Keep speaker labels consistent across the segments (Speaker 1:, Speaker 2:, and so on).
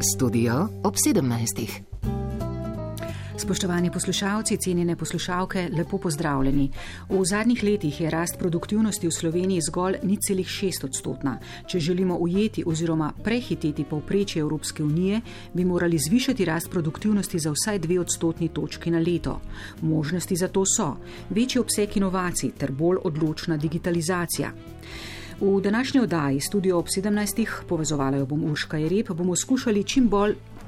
Speaker 1: Studio ob 17.
Speaker 2: Spoštovani poslušalci, cenjene poslušalke, lepo pozdravljeni. V zadnjih letih je rast produktivnosti v Sloveniji zgolj 0,6%. Če želimo ujeti oziroma prehiteti povprečje Evropske unije, bi morali zvišati rast produktivnosti za vsaj 2 točki na leto. Možnosti za to so večji obseg inovacij ter bolj odločna digitalizacija. V današnji oddaji Studio ob 17. povezovala jo bom Urška Jereb, bomo skušali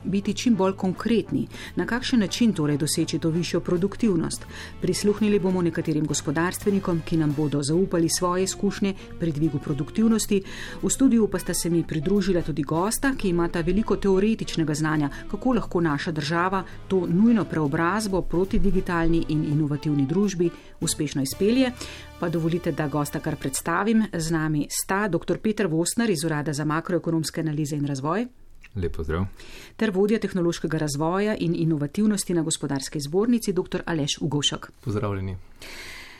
Speaker 2: biti čim bolj konkretni, na kakšen način torej doseči to višjo produktivnost. Prisluhnili bomo nekaterim gospodarstvenikom, ki nam bodo zaupali svoje izkušnje pri dvigu produktivnosti. V studiu pa sta se mi pridružila tudi gosta, ki imata veliko teoretičnega znanja, kako lahko naša država to nujno preobrazbo proti digitalni in inovativni družbi uspešno izpelje. Pa dovolite, da gosta kar predstavim. Z nami sta dr. Peter Vostner iz Urada za makroekonomske analize in razvoj.
Speaker 3: Lep pozdrav. Ter
Speaker 2: vodja tehnološkega razvoja in inovativnosti na Gospodarski zbornici, dr. Aleš Ugovšek.
Speaker 4: Pozdravljeni.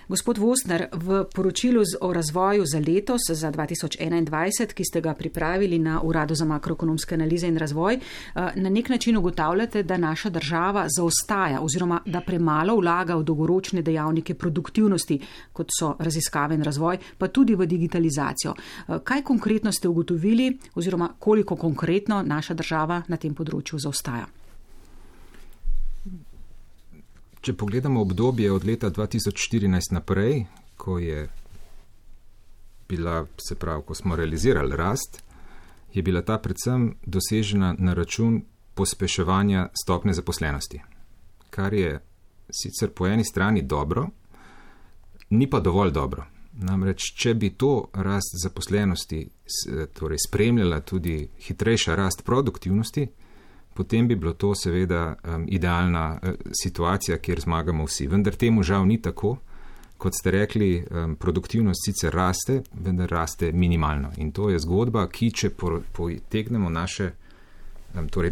Speaker 2: Gospod Vostner, v poročilu o razvoju za letos, za 2021, ki ste ga pripravili na Uradu za makroekonomske analize in razvoj, na nek način ugotavljate, da naša država zaostaja oziroma da premalo vlaga v dolgoročne dejavnike produktivnosti, kot so raziskave in razvoj, pa tudi v digitalizacijo. Kaj konkretno ste ugotovili oziroma koliko konkretno naša država na tem področju zaostaja?
Speaker 3: Če pogledamo obdobje od leta 2014 naprej, ko smo realizirali rast, je bila ta predvsem dosežena na račun pospeševanja stopnje zaposlenosti. Kar je sicer po eni strani dobro, ni pa dovolj dobro. Namreč, če bi to rast zaposlenosti torej spremljala tudi hitrejša rast produktivnosti, potem bi bilo to seveda idealna situacija, kjer zmagamo vsi. Vendar temu žal ni tako. Kot ste rekli, produktivnost sicer raste, vendar raste minimalno. In to je zgodba, ki če potegnemo naše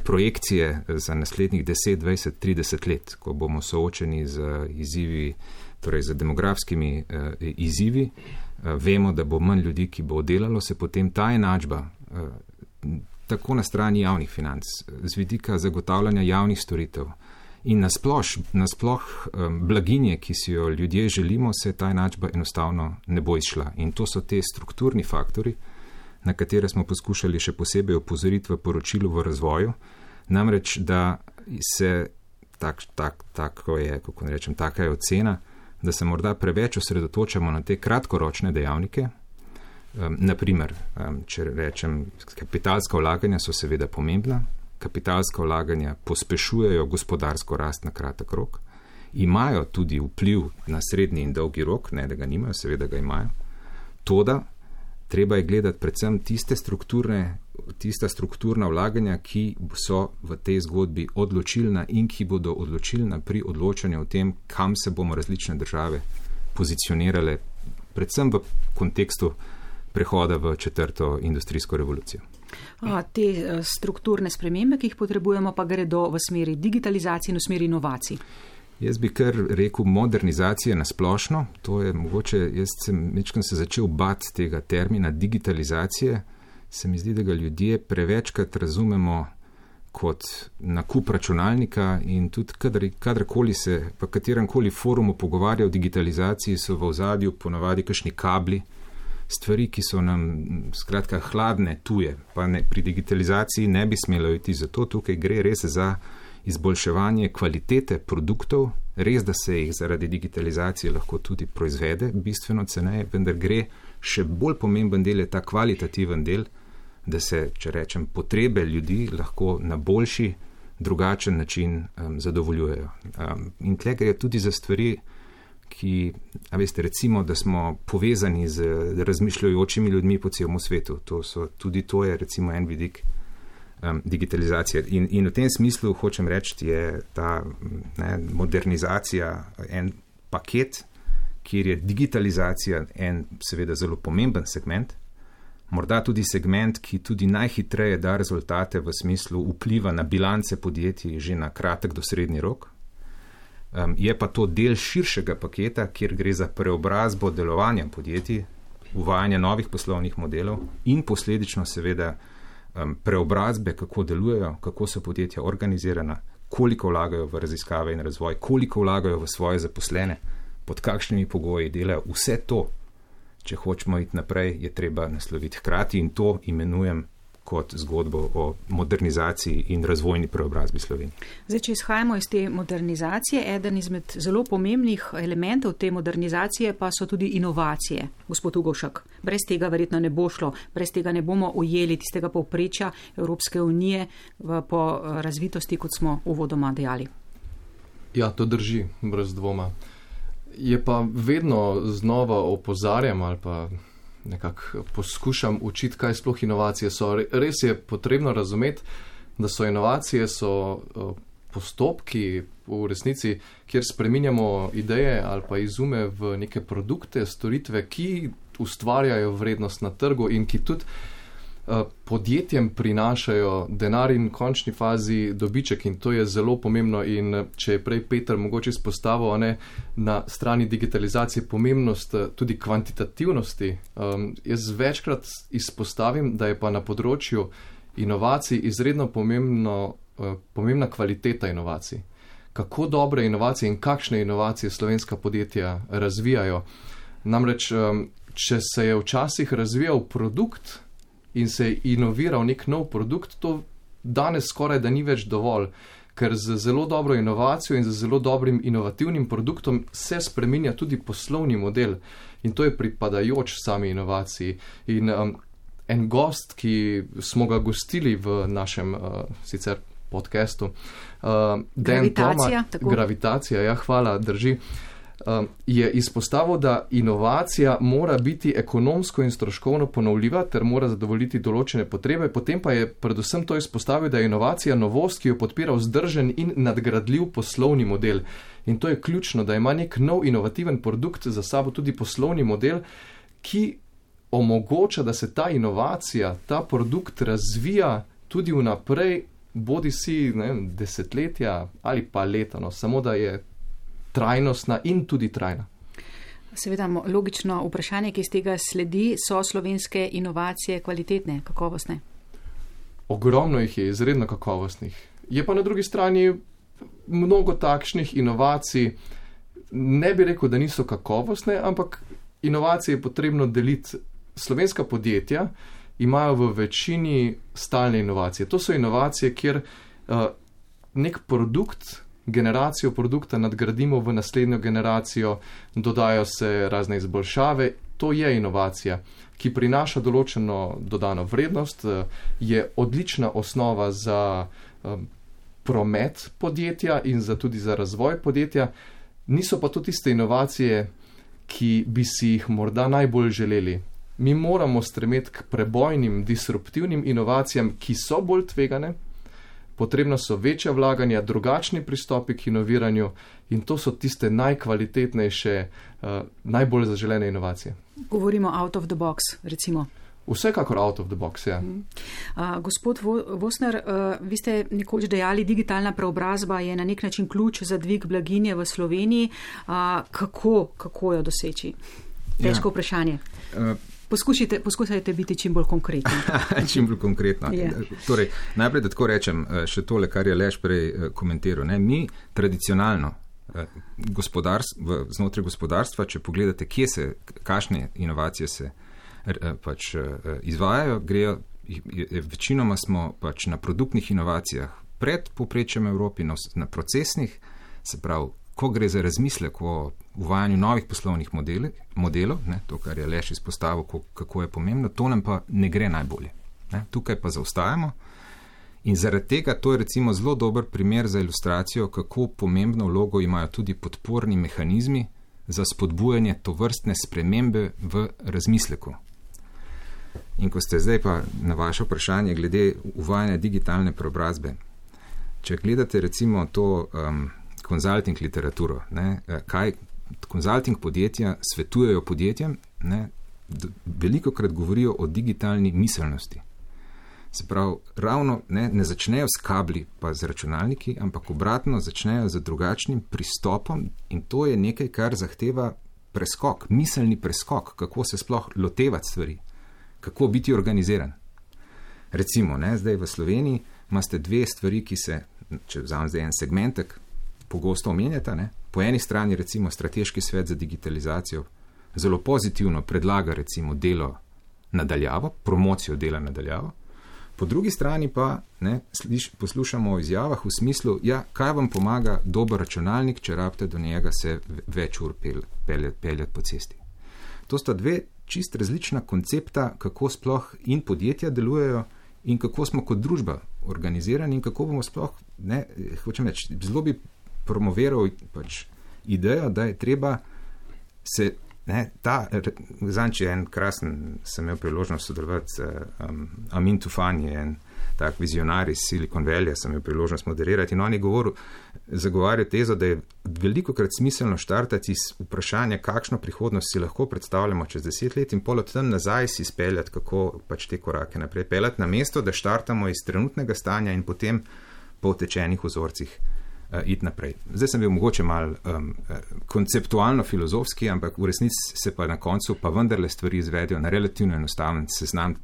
Speaker 3: projekcije za naslednjih 10, 20, 30 let, ko bomo soočeni z izzivi, torej z demografskimi izzivi, vemo, da bo manj ljudi, ki bo delalo, se potem ta enačba tako na strani javnih financ, z vidika zagotavljanja javnih storitev in nasploh blaginje, ki si jo ljudje želimo, se ta enačba enostavno ne bo izšla. In to so te strukturni faktori, na katere smo poskušali še posebej opozoriti v poročilu v razvoju. Namreč, da se taka je ocena, da se morda preveč osredotočamo na te kratkoročne dejavnike. Naprimer, če rečem, kapitalska vlaganja so seveda pomembna, kapitalska vlaganja pospešujejo gospodarsko rast na kratek rok, imajo tudi vpliv na srednji in dolgi rok, ne da ga nimajo, seveda ga imajo. Toda treba je gledati predvsem tista strukturna vlaganja, ki so v tej zgodbi odločilna in ki bodo odločilna pri odločanju o tem, kam se bomo različne države pozicionirale, predvsem v kontekstu prehoda v 4. industrijsko revolucijo.
Speaker 2: Te strukturne spremembe, ki jih potrebujemo, pa gredo v smeri digitalizacije in v smeri inovacij.
Speaker 3: Jaz bi kar rekel modernizacije na splošno. To je mogoče, jaz sem se začel bati tega termina digitalizacije. Se mi zdi, da ga ljudje prevečkrat razumemo kot nakup računalnika in tudi kadarkoli se v kateremkoli forumu pogovarja o digitalizaciji, so v ozadju ponavadi kakšni kabli, stvari, ki so nam skratka hladne, tuje, pa pri digitalizaciji ne bi smelo iti za to. Tukaj gre res za izboljševanje kvalitete produktov, res, da se jih zaradi digitalizacije lahko tudi proizvede bistveno ceneje, vendar gre še bolj pomemben del, je ta kvalitativen del, da se, če rečem, potrebe ljudi lahko na boljši, drugačen način zadovoljujejo. In tle gre tudi za stvari, ki, recimo, da smo povezani z razmišljajočimi ljudmi po celem svetu. Tudi to je recimo en vidik digitalizacije. In v tem smislu hočem reči, je ta modernizacija en paket, kjer je digitalizacija en seveda zelo pomemben segment, morda tudi segment, ki tudi najhitreje da rezultate v smislu vpliva na bilance podjetij že na kratek do srednji rok. Je pa to del širšega paketa, kjer gre za preobrazbo delovanja podjetij, uvajanje novih poslovnih modelov in posledično seveda preobrazbe, kako delujejo, kako so podjetja organizirana, koliko vlagajo v raziskave in razvoj, koliko vlagajo v svoje zaposlene, pod kakšnimi pogoji delajo. Vse to, če hočemo iti naprej, je treba nasloviti hkrati in to imenujem kot zgodbo o modernizaciji in razvojni preobrazbi Slovenije.
Speaker 2: Zdaj, če izhajamo iz te modernizacije, eden izmed zelo pomembnih elementov te modernizacije pa so tudi inovacije. Gospod Ugovšek, brez tega verjetno ne bo šlo, brez tega ne bomo ujeli tistega povprečja Evropske unije po razvitosti, kot smo uvodoma dejali.
Speaker 4: Ja, to drži, brez dvoma. Je pa vedno znova opozarjam ali pa nekako poskušam učiti, kaj sploh inovacije so. Res je potrebno razumeti, da so inovacije postopki v resnici, kjer spreminjamo ideje ali pa izume v neke produkte, storitve, ki ustvarjajo vrednost na trgu in ki tudi podjetjem prinašajo denar in v končni fazi dobiček in to je zelo pomembno in če je prej Peter mogoče izpostavil na strani digitalizacije pomembnost tudi kvantitativnosti, jaz večkrat izpostavim, da je pa na področju inovacij izredno pomembna kvaliteta inovacij. Kako dobre inovacije in kakšne inovacije slovenska podjetja razvijajo. Namreč, če se je včasih razvijal produkt, in se je inoviral nek nov produkt, to danes skoraj da ni več dovolj, ker z zelo dobro inovacijo in z zelo dobrim inovativnim produktom se spreminja tudi poslovni model in to je pripadajoč sami inovaciji. In en gost, ki smo ga gostili v našem sicer podcastu, Gravitacija, ja, hvala, drži, je izpostavil, da inovacija mora biti ekonomsko in stroškovno ponovljiva ter mora zadovoljiti določene potrebe, potem pa je predvsem to izpostavil, da je inovacija novost, ki jo podpira vzdržen in nadgradljiv poslovni model. In to je ključno, da ima nek nov inovativen produkt za sabo tudi poslovni model, ki omogoča, da se ta inovacija, ta produkt razvija tudi vnaprej, bodi si desetletja ali pa leta, samo da je trajnostna in tudi trajna.
Speaker 2: Seveda, logično vprašanje, ki iz tega sledi, so slovenske inovacije kvalitetne, kakovostne?
Speaker 4: Ogromno jih je, izredno kakovostnih. Je pa na drugi strani mnogo takšnih inovacij, ne bi rekel, da niso kakovostne, ampak inovacije je potrebno deliti. Slovenska podjetja imajo v večini stalne inovacije. To so inovacije, kjer nek generacijo produkta nadgradimo v naslednjo generacijo, dodajo se razne izboljšave. To je inovacija, ki prinaša določeno dodano vrednost, je odlična osnova za promet podjetja in tudi za razvoj podjetja. Niso pa to tiste inovacije, ki bi si jih morda najbolj želeli. Mi moramo stremeti k prebojnim, disruptivnim inovacijam, ki so bolj tvegane, potrebno so večja vlaganja, drugačni pristopi k inoviranju in to so tiste najkvalitetnejše, najbolj zaželene inovacije.
Speaker 2: Govorimo out of the box, recimo.
Speaker 4: Vsekakor out of the box, ja.
Speaker 2: Gospod Vosner, vi ste nekoč dejali, digitalna preobrazba je na nek način ključ za dvig blaginje v Sloveniji. Kako jo doseči? Težko vprašanje. Poskusajte biti čim bolj konkretni.
Speaker 3: Čim bolj konkretno. Torej, najprej, da tako rečem, še tole, kar je Aleš prej komentiral. Mi tradicionalno znotraj gospodarstva, če pogledate, kakšne inovacije se izvajajo, večinoma smo na produktnih inovacijah pred povprečjem Evropi, na procesnih, se pravi, ko gre za razmislek o uvajanju novih poslovnih modelov, to, kar je Aleš izpostavil, kako je pomembno, to nam pa ne gre najbolje. Tukaj pa zaostajamo in zaradi tega to je recimo zelo dober primer za ilustracijo, kako pomembno vlogo imajo tudi podporni mehanizmi za spodbujanje tovrstne spremembe v razmisleku. In ko ste zdaj pa na vaše vprašanje glede uvajanja digitalne preobrazbe, če gledate recimo to konzulting literaturo, kaj konzulting podjetja svetujejo podjetjem, velikokrat govorijo o digitalni miselnosti. Se pravi, ravno ne začnejo s kabli pa z računalniki, ampak obratno začnejo z drugačnim pristopom in to je nekaj, kar zahteva preskok, miselni preskok, kako se sploh lotevati stvari, kako biti organiziran. Recimo, zdaj v Sloveniji imate dve stvari, ki se, če vzamem zdaj en segmentek, pogosto omenjata. Po eni strani recimo Strateški svet za digitalizacijo zelo pozitivno predlaga recimo delo nadaljavo, promocijo dela nadaljavo. Po drugi strani pa poslušamo o izjavah v smislu, kaj vam pomaga dober računalnik, če rabite do njega se več ur peljati po cesti. To sta dve čist različna koncepta, kako sploh in podjetja delujejo in kako smo kot družba organizirani in kako bomo sploh, hočem reči, zelo bi promoviral idejo, da je treba se zanči en krasen, sem imel priložnost sodelovati z Amin Tufan, je en tak vizionar iz Silicon Valley, sem imel priložnost moderirati in on je zagovarjal tezo, da je velikokrat smiselno štartati iz vprašanja, kakšno prihodnost si lahko predstavljamo čez 10 let in pol od tam nazaj si speljati, kako te korake naprej peljati, namesto da štartamo iz trenutnega stanja in potem po utečenih vzorcih iti naprej. Zdaj sem bil mogoče malo konceptualno filozofski, ampak v resnici se pa na koncu pa vendarle stvari izvedijo na relativno enostaven seznam.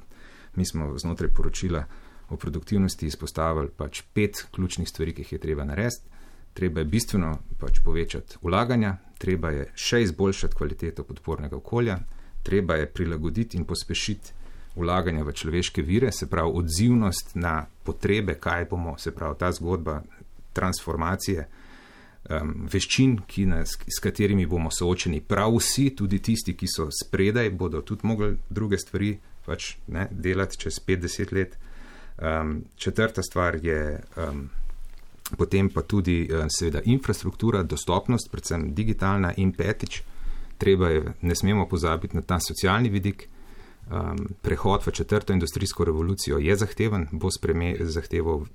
Speaker 3: Mi smo znotraj poročila o produktivnosti izpostavili 5 ključnih stvari, ki jih je treba narediti. Treba je bistveno povečati vlaganja, treba je še izboljšati kvaliteto podpornega okolja, treba je prilagoditi in pospešiti vlaganja v človeške vire, se pravi odzivnost na potrebe, kaj bomo, se pravi ta zgodba transformacije veščin, s katerimi bomo soočeni prav vsi, tudi tisti, ki so spredaj, bodo tudi mogli druge stvari delati čez 50 let. Četrta stvar je potem pa tudi seveda infrastruktura, dostopnost, predvsem digitalna in petič, ne smemo pozabiti na ta socialni vidik. Prehod v 4. industrijsko revolucijo je zahteven, bo zahteval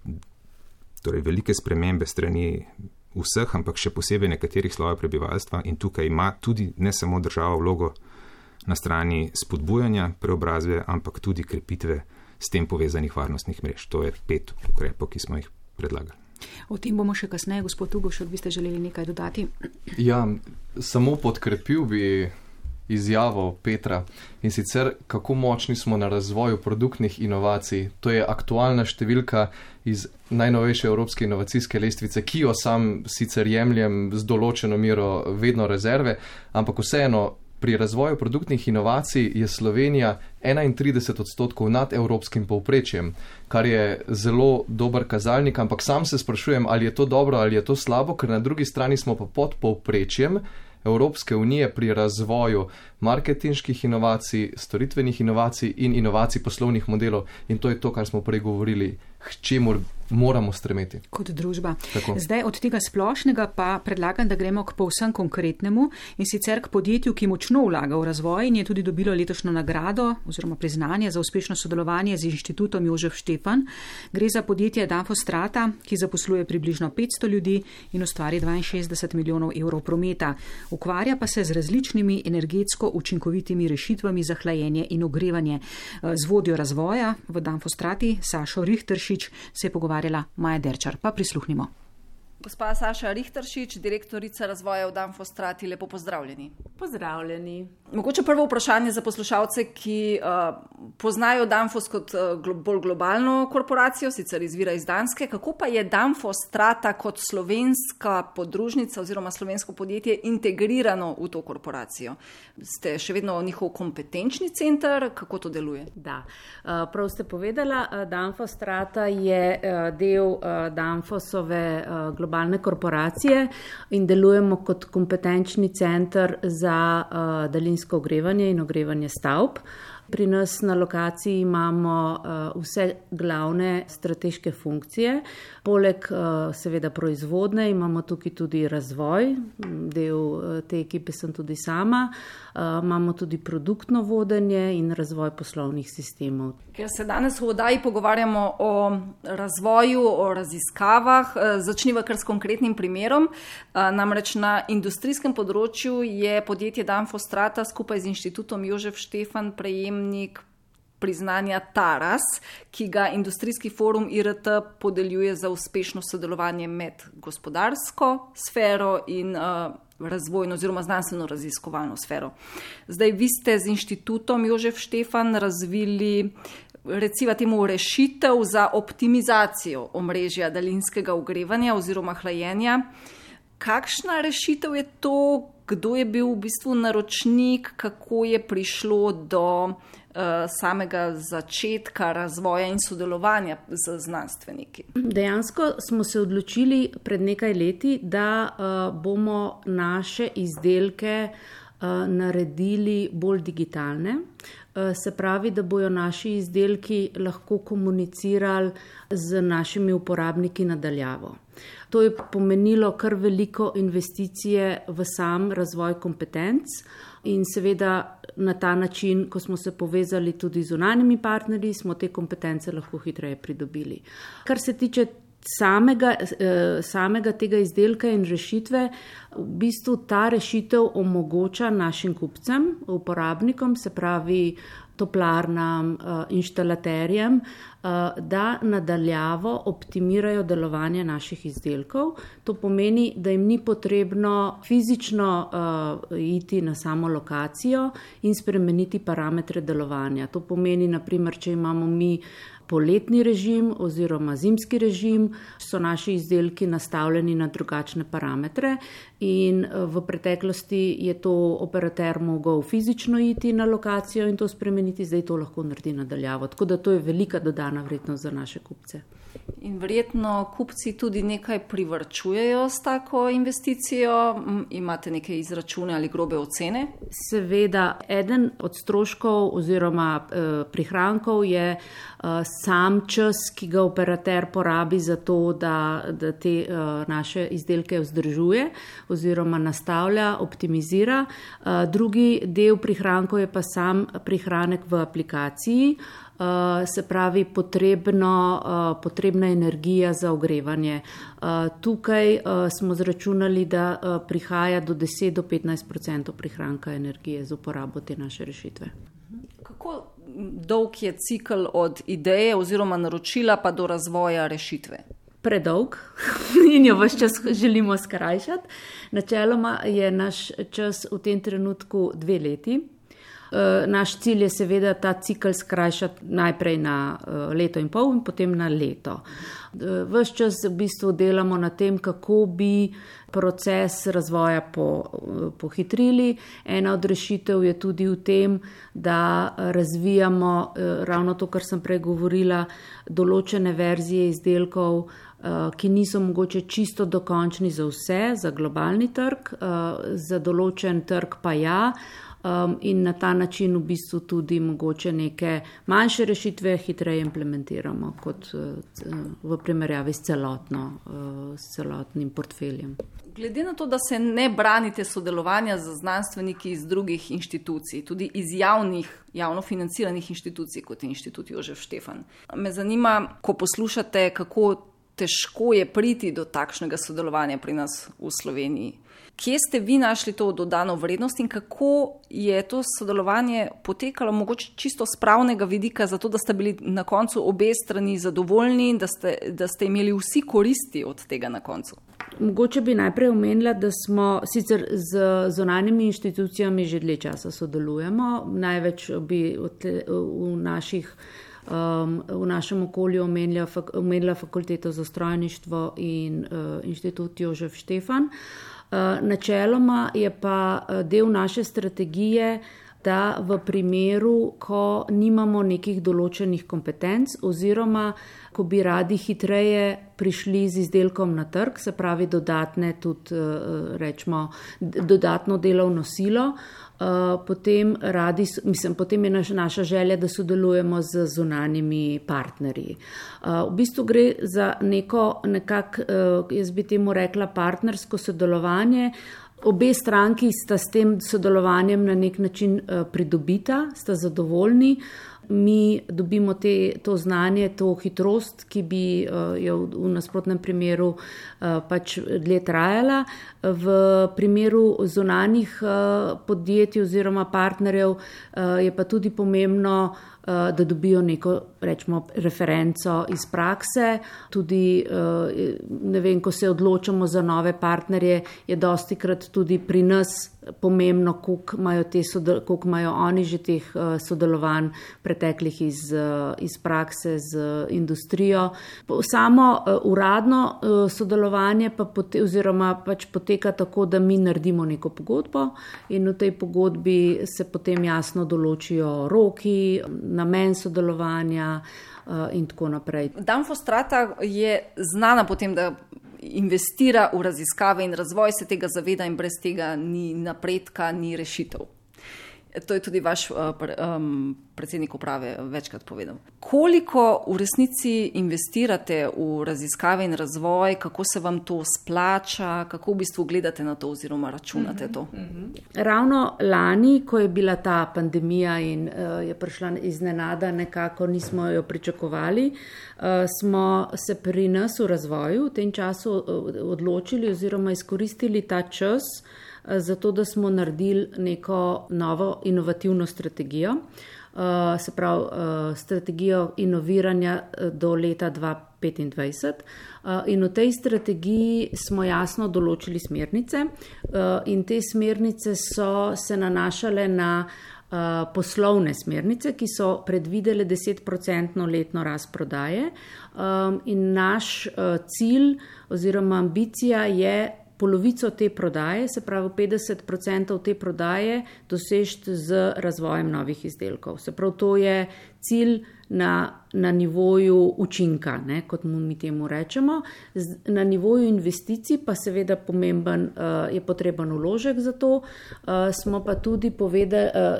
Speaker 3: velike spremembe strani vseh, ampak še posebej nekaterih slojev prebivalstva in tukaj ima tudi ne samo država vlogo na strani spodbujanja preobrazbe, ampak tudi krepitve s tem povezanih varnostnih mrež. To je 5 ukrepov, ki smo jih predlagali.
Speaker 2: O tem bomo še kasneje, gospod Ugošek, bi ste želeli nekaj dodati?
Speaker 4: Ja, samo podkrepil bi izjavo Petra in sicer kako močni smo na razvoju produktnih inovacij. To je aktualna številka iz najnovejše evropske inovacijske lestvice, ki jo sam sicer jemljem z določeno mero vedno rezerve, ampak vseeno pri razvoju produktnih inovacij je Slovenija 31% nad evropskim povprečjem, kar je zelo dober kazalnik, ampak sam se sprašujem, ali je to dobro ali je to slabo, ker na drugi strani smo pa pod povprečjem Evropske unije pri razvoju marketinških inovacij, storitvenih inovacij in inovacij poslovnih modelov in to je to, kar smo prej govorili, k čemu moramo stremeti.
Speaker 2: Kot družba.
Speaker 4: Tako.
Speaker 2: Zdaj od tega splošnega pa predlagam, da gremo k povsem konkretnemu in sicer k podjetju, ki močno vlaga v razvoj in je tudi dobilo letošnjo nagrado oziroma priznanje za uspešno sodelovanje z Inštitutom Jožef Štefan. Gre za podjetje Danfostrata, ki zaposluje približno 500 ljudi in ustvari 62 milijonov evrov prometa. Ukvarja pa se z različnimi energetsko učinkovitimi rešitvami za hlajenje in ogrevanje. Z vodjo razvoja v Danfostrati, Sašo Richteršič, se je pogovarjala Maja Derčar. Pa prisluhnimo.
Speaker 5: Gospa Saša Richteršič, direktorica razvoja v Danfostrati, lepo pozdravljeni.
Speaker 6: Pozdravljeni.
Speaker 5: Mogoče prvo vprašanje za poslušalce, ki poznajo Danfoss kot bolj globalno korporacijo, sicer izvira iz Danske. Kako pa je Danfostrata kot slovenska podružnica oziroma slovensko podjetje integrirano v to korporacijo? Ste še vedno njihov kompetenčni center? Kako to deluje?
Speaker 6: Da, prav ste povedala, Danfostrata je del Danfossove globalne korporacije in delujemo kot kompetenčni center za daljinsko ogrevanje in ogrevanje stavb. Pri nas na lokaciji imamo vse glavne strateške funkcije. Poleg seveda proizvodne imamo tukaj tudi razvoj, del te ekipe sem tudi sama. Imamo tudi produktno vodenje in razvoj poslovnih sistemov.
Speaker 5: Ker se danes v oddaji pogovarjamo o razvoju, o raziskavah, začniva kar s konkretnim primerom. Namreč na industrijskem področju je podjetje Danfostrata skupaj z Inštitutom Jožef Štefan prejemnik priznanja Taras, ki ga Industrijski forum IRT podeljuje za uspešno sodelovanje med gospodarsko sfero in razvojno oziroma znanstveno raziskovalno sfero. Zdaj vi ste z Inštitutom Jožef Štefan razvili recimo temu rešitev za optimizacijo omrežja daljinskega ogrevanja oziroma hlajenja. Kakšna rešitev je to? Kdo je bil v bistvu naročnik? Kako je prišlo do samega začetka razvoja in sodelovanja z znanstveniki?
Speaker 6: Dejansko smo se odločili pred nekaj leti, da bomo naše izdelke naredili bolj digitalne. Se pravi, da bojo naši izdelki lahko komunicirali z našimi uporabniki nadaljavo. To je pomenilo kar veliko investicije v sam razvoj kompetenc in seveda na ta način, ko smo se povezali tudi z zunanjimi partnerji, smo te kompetence lahko hitreje pridobili. Kar se tiče samega tega izdelka in rešitve, v bistvu ta rešitev omogoča našim kupcem, uporabnikom, se pravi toplarnam, inštalaterjem, da nadaljavo optimirajo delovanje naših izdelkov. To pomeni, da jim ni potrebno fizično iti na samo lokacijo in spremeniti parametre delovanja. To pomeni, naprimer, če imamo mi poletni režim oziroma zimski režim, so naši izdelki nastavljeni na drugačne parametre in v preteklosti je to operater mogel fizično iti na lokacijo in to spremeniti, zdaj to lahko naredi nadaljavo. Tako da to je velika dodana vrednost za naše kupce.
Speaker 5: In verjetno kupci tudi nekaj privarčujejo s tako investicijo. Imate neke izračune ali grobe ocene?
Speaker 6: Seveda, eden od stroškov oziroma prihrankov je sam čas, ki ga operater porabi za to, da te naše izdelke vzdržuje oziroma nastavlja, optimizira. Drugi del prihrankov je pa sam prihranek v aplikaciji, se pravi potrebna energija za ogrevanje. Tukaj smo zračunali, da prihaja do 10 do 15% prihranka energije za uporabo te naše rešitve.
Speaker 5: Kako dolg je cikl od ideje oziroma naročila pa do razvoja rešitve?
Speaker 6: Predolg in jo ves čas želimo skrajšati. Načeloma je naš čas v tem trenutku 2 leti. Naš cilj je seveda ta cikl skrajšati najprej na 1,5 leta in potem na leto. Ves čas v bistvu delamo na tem, kako bi proces razvoja pohitrili. Ena od rešitev je tudi v tem, da razvijamo ravno to, kar sem prej govorila, določene verzije izdelkov, ki niso mogoče čisto dokončni za vse, za globalni trg, za določen trg pa ja. In na ta način v bistvu tudi mogoče neke manjše rešitve hitreje implementiramo kot v primerjavi s celotnim portfeljem.
Speaker 5: Glede na to, da se ne branite sodelovanja z znanstveniki iz drugih inštitucij, tudi iz javno financiranih inštitucij, kot je Inštitut Jožef Štefan, me zanima, ko poslušate, kako težko je priti do takšnega sodelovanja pri nas v Sloveniji. Kje ste vi našli to dodano vrednost in kako je to sodelovanje potekalo mogoče čisto z pravnega vidika, zato da ste bili na koncu obe strani zadovoljni in da ste imeli vsi koristi od tega na koncu?
Speaker 6: Mogoče bi najprej omenila, da smo sicer z zunanjimi inštitucijami že dlje časa sodelujemo. Največ bi v našem okolju omenila Fakulteto za strojništvo in Inštitut Jožef Štefan. Načeloma je pa del naše strategije, da v primeru, ko nimamo nekih določenih kompetenc oziroma ko bi radi hitreje prišli z izdelkom na trg, se pravi dodatno delovno silo, potem je naša želja, da sodelujemo z zunanjimi partnerji. V bistvu gre za jaz bi temu rekla, partnersko sodelovanje. Obe stranki sta s tem sodelovanjem na nek način pridobita, sta zadovoljni. Mi dobimo to znanje, to hitrost, ki bi jo v nasprotnem primeru pač dlje trajala. V primeru zunanjih podjetij oziroma partnerjev je pa tudi pomembno da dobijo neko, rečemo, referenco iz prakse. Tudi, ne vem, ko se odločamo za nove partnerje, je dostikrat tudi pri nas pomembno, koliko imajo oni že teh sodelovanj preteklih iz prakse z industrijo. Samo uradno sodelovanje oziroma pač poteka tako, da mi naredimo neko pogodbo in v tej pogodbi se potem jasno določijo roki, namen sodelovanja in tako naprej.
Speaker 5: Danfostrata je znana potem, da investira v raziskave in razvoj, se tega zaveda in brez tega ni napredka, ni rešitev. To je tudi vaš predsednik uprave večkrat povedal. Koliko v resnici investirate v raziskave in razvoj, kako se vam to splača, kako v bistvu gledate na to oziroma računate to?
Speaker 6: Ravno lani, ko je bila ta pandemija in je prišla iznenada, nekako nismo jo pričakovali, smo se pri nas v razvoju v tem času odločili oziroma izkoristili ta čas, zato da smo naredili neko novo inovativno strategijo, se pravi strategijo inoviranja do leta 2025. In v tej strategiji smo jasno določili smernice in te smernice so se nanašale na poslovne smernice, ki so predvidele 10% letno rast prodaje. In naš cilj oziroma ambicija je polovico te prodaje, se pravi 50% te prodaje, dosežiti z razvojem novih izdelkov. Se pravi, to je cilj na nivoju učinka, kot mi temu rečemo. Na nivoju investicij pa seveda pomemben je potreben vložek za to. Smo pa tudi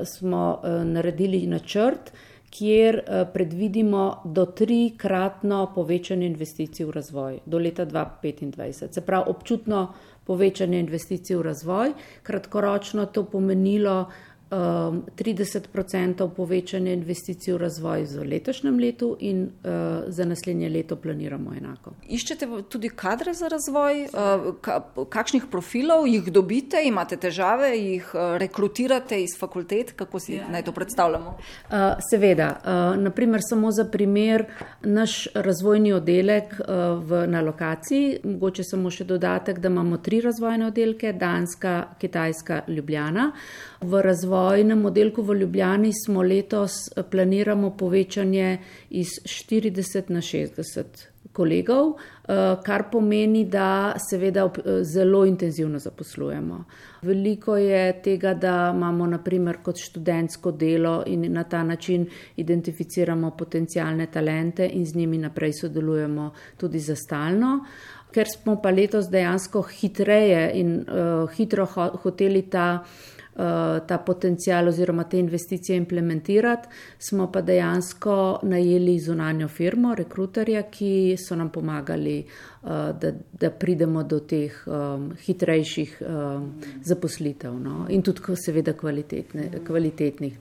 Speaker 6: smo naredili načrt, kjer predvidimo do 3-kratno povečanje investicij v razvoj do leta 2025. Se pravi, občutno povečanje investicij v razvoj, kratkoročno to pomenilo 30% povečanje investicij v razvoj v letošnjem letu in za naslednje leto planiramo enako.
Speaker 5: Iščete tudi kadre za razvoj? Kakšnih profilov jih dobite? Imate težave? Jih rekrutirate iz fakultet? Kako si naj to predstavljamo?
Speaker 6: Seveda. Naprimer, samo za primer, naš razvojni oddelek na lokaciji, mogoče samo še dodatek, da imamo 3 razvojne oddelke, Danska, Kitajska, Ljubljana. V razvojnem oddelku v Ljubljani smo letos planiramo povečanje iz 40 na 60 kolegov, kar pomeni, da seveda zelo intenzivno zaposlujemo. Veliko je tega, da imamo naprimer kot študentsko delo in na ta način identificiramo potencialne talente in z njimi naprej sodelujemo tudi za stalno. Ker smo pa letos dejansko hitreje in hitro hoteli ta potencial oziroma te investicije implementirati, smo pa dejansko najeli zunanjo firmo, rekruterja, ki so nam pomagali, da pridemo do teh hitrejših zaposlitev, no? In tudi seveda kvalitetnih.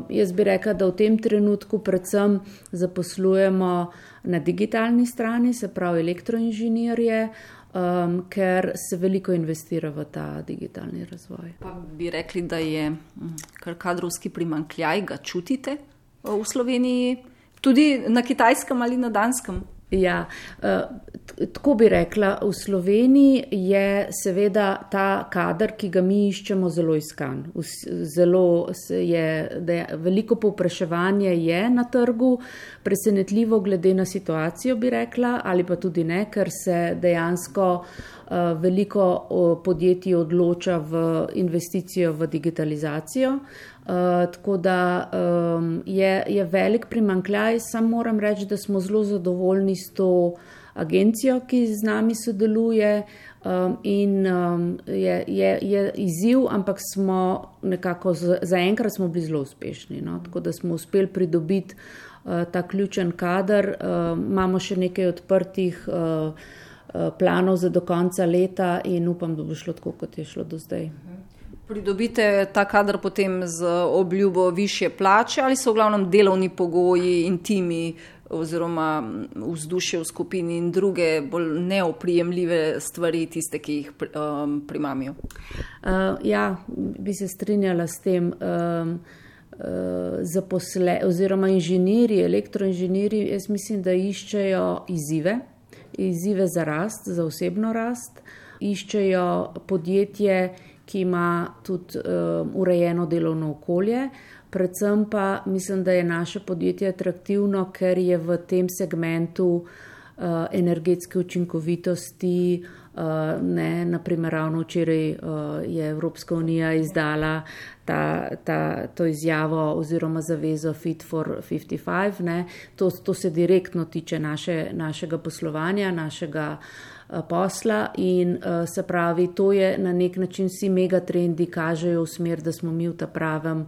Speaker 6: Jaz bi rekla, da v tem trenutku predvsem zaposlujemo na digitalni strani, se pravi elektroinženirje, ker se veliko investira v ta digitalni razvoj.
Speaker 5: Pa bi rekli, da je kar kadrovski primanjkljaj, ga čutite v Sloveniji, tudi na Kitajskem ali na Danskem?
Speaker 6: Ja, tako bi rekla, v Sloveniji je seveda ta kader, ki ga mi iščemo, zelo iskan. Veliko povpraševanje je na trgu, presenetljivo glede na situacijo, bi rekla, ali pa tudi ne, ker se dejansko veliko podjetij odloča v investicijo v digitalizacijo. Tako da je velik primanjkljaj. Sam moram reči, da smo zelo zadovoljni s to agencijo, ki z nami sodeluje in je izziv, ampak smo nekako zaenkrat smo bili zelo uspešni. No? Tako da smo uspeli pridobiti ta ključen kader. Imamo še nekaj odprtih planov za do konca leta in upam, da bo šlo tako, kot je šlo do zdaj.
Speaker 5: Pridobite ta kader potem z obljubo višje plače ali so v glavnem delovni pogoji in timi oziroma vzdušje v skupini in druge bolj neoprijemljive stvari tiste, ki jih primamijo?
Speaker 6: Ja, bi se strinjala s tem. oziroma inženirji, elektroinženirji, jaz mislim, da iščejo izzive za rast, za osebno rast, iščejo podjetje, ki ima tudi urejeno delovno okolje. Predvsem pa mislim, da je naše podjetje atraktivno, ker je v tem segmentu energetske učinkovitosti. Naprimer, ravno včeraj je Evropska unija izdala to izjavo oziroma zavezo Fit for 55. To se direktno tiče našega poslovanja, našega posla in se pravi, to je na nek način vsi megatrendi kažejo v smer, da smo mi v ta pravem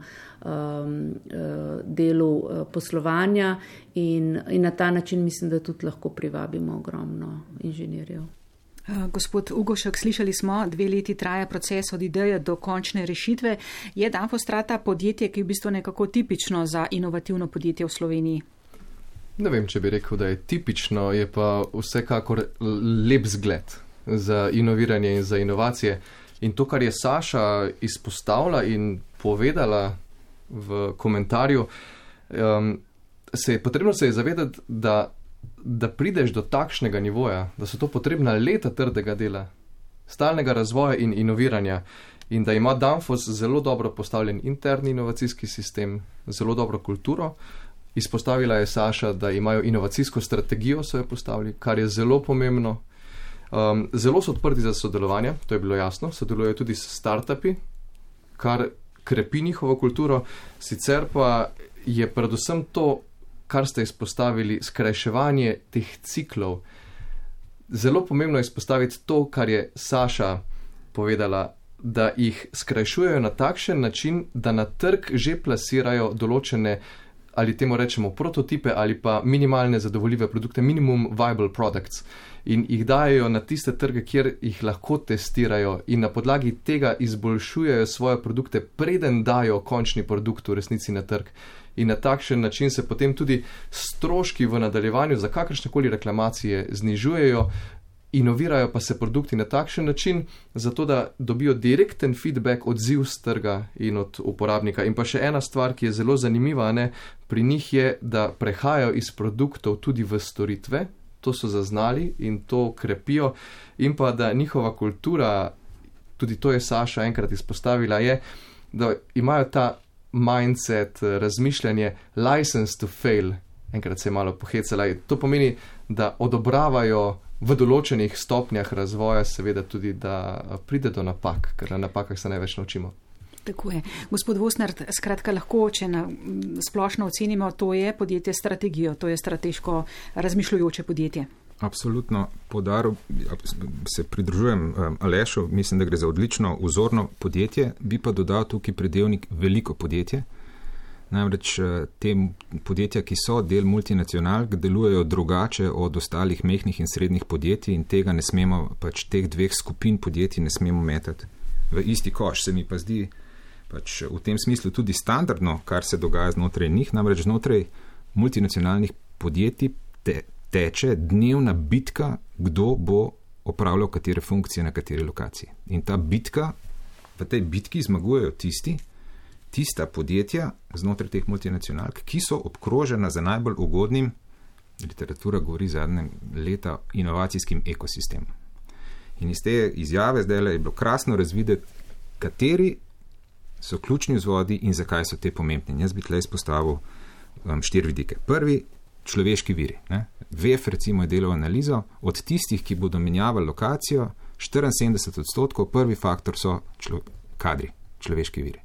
Speaker 6: delu poslovanja in na ta način mislim, da tudi lahko privabimo ogromno inženirjev.
Speaker 2: Gospod Ugošek, slišali smo, 2 leti traja proces od ideje do končne rešitve. Je Danfostrata podjetje, ki je v bistvu nekako tipično za inovativno podjetje v Sloveniji?
Speaker 4: Ne vem, če bi rekel, da je tipično, je pa vsekakor lep zgled za inoviranje in za inovacije. In to, kar je Saša izpostavila in povedala v komentarju, potrebno se je zavedati, da prideš do takšnega nivoja, da so to potrebna leta trdega dela, stalnega razvoja in inoviranja in da ima Danfoss zelo dobro postavljen interni inovacijski sistem, zelo dobro kulturo. Izpostavila je Saša, da imajo inovacijsko strategijo, so jo postavili, kar je zelo pomembno. Zelo so odprti za sodelovanje, to je bilo jasno, sodelujejo tudi s startupi, kar krepi njihovo kulturo, sicer pa je predvsem to, kar ste izpostavili, skrajševanje teh ciklov. Zelo pomembno je izpostaviti to, kar je Saša povedala, da jih skrajšujejo na takšen način, da na trg že plasirajo določene, ali temu rečemo prototipe ali pa minimalne zadovoljive produkte, minimum viable products, in jih dajo na tiste trge, kjer jih lahko testirajo in na podlagi tega izboljšujejo svoje produkte, preden dajo končni produkt v resnici na trg. In na takšen način se potem tudi stroški v nadaljevanju za kakršnekoli reklamacije znižujejo, inovirajo pa se produkti na takšen način, zato da dobijo direkten feedback, odziv z trga in od uporabnika. In pa še ena stvar, ki je zelo zanimiva, pri njih je, da prehajajo iz produktov tudi v storitve, to so zaznali in to krepijo, in pa da njihova kultura, tudi to je Saša enkrat izpostavila, je, da imajo ta mindset, razmišljanje license to fail, enkrat se je malo pohecala. To pomeni, da odobravajo v določenih stopnjah razvoja seveda tudi, da pride do napak, ker na napakah se največ naučimo.
Speaker 2: Tako je. Gospod Vosnert, skratka lahko, če splošno ocenimo, to je podjetje strategijo, to je strateško razmišljujoče podjetje.
Speaker 3: Absolutno podaril, se pridružujem Alešu, mislim, da gre za odlično vzorno podjetje, bi pa dodal tukaj pridevnik veliko podjetje. Namreč te podjetja, ki so del multinacionalk, delujejo drugače od ostalih mehkih in srednjih podjetij in tega ne smemo, teh 2 skupin podjetij ne smemo metati v isti koš. Se mi pa zdi v tem smislu tudi standardno, kar se dogaja znotraj njih, namreč znotraj multinacionalnih podjetij teče dnevna bitka, kdo bo opravljal katere funkcije na kateri lokaciji. In ta bitka, v tej bitki zmagujejo tista podjetja znotraj teh multinacionalk, ki so obkrožena za najbolj ugodnim, literatura govori zadnje leta, inovacijskim ekosistemom. In iz te izjave zdaj je bilo krasno razvideti, kateri so ključni vzvodi in zakaj so te pomembni. Jaz bi tle izpostavil 4 vidike. Prvi, človeški viri. VEF recimo je delal analizo, od tistih, ki bodo menjavali lokacijo, 74%, prvi faktor so kadri, človeški viri.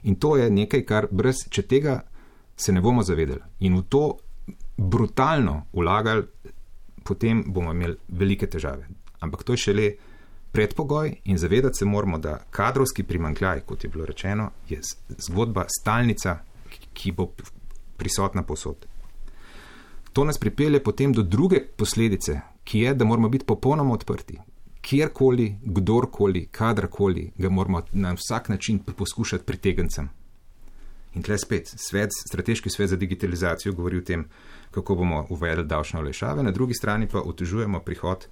Speaker 3: In to je nekaj, kar če tega se ne bomo zavedali in v to brutalno vlagali, potem bomo imeli velike težave. Ampak to je šele predpogoj in zavedati se moramo, da kadrovski primanjkljaj, kot je bilo rečeno, je zgodba stalnica, ki bo prisotna povsod. To nas pripelje potem do druge posledice, ki je, da moramo biti popolnoma odprti. Kjerkoli, kdorkoli, kadarkoli ga moramo na vsak način poskušati pritegniti sem. In tle spet, strateški svet za digitalizacijo govori o tem, kako bomo uvedli davčne olajšave, na drugi strani pa otežujemo prihod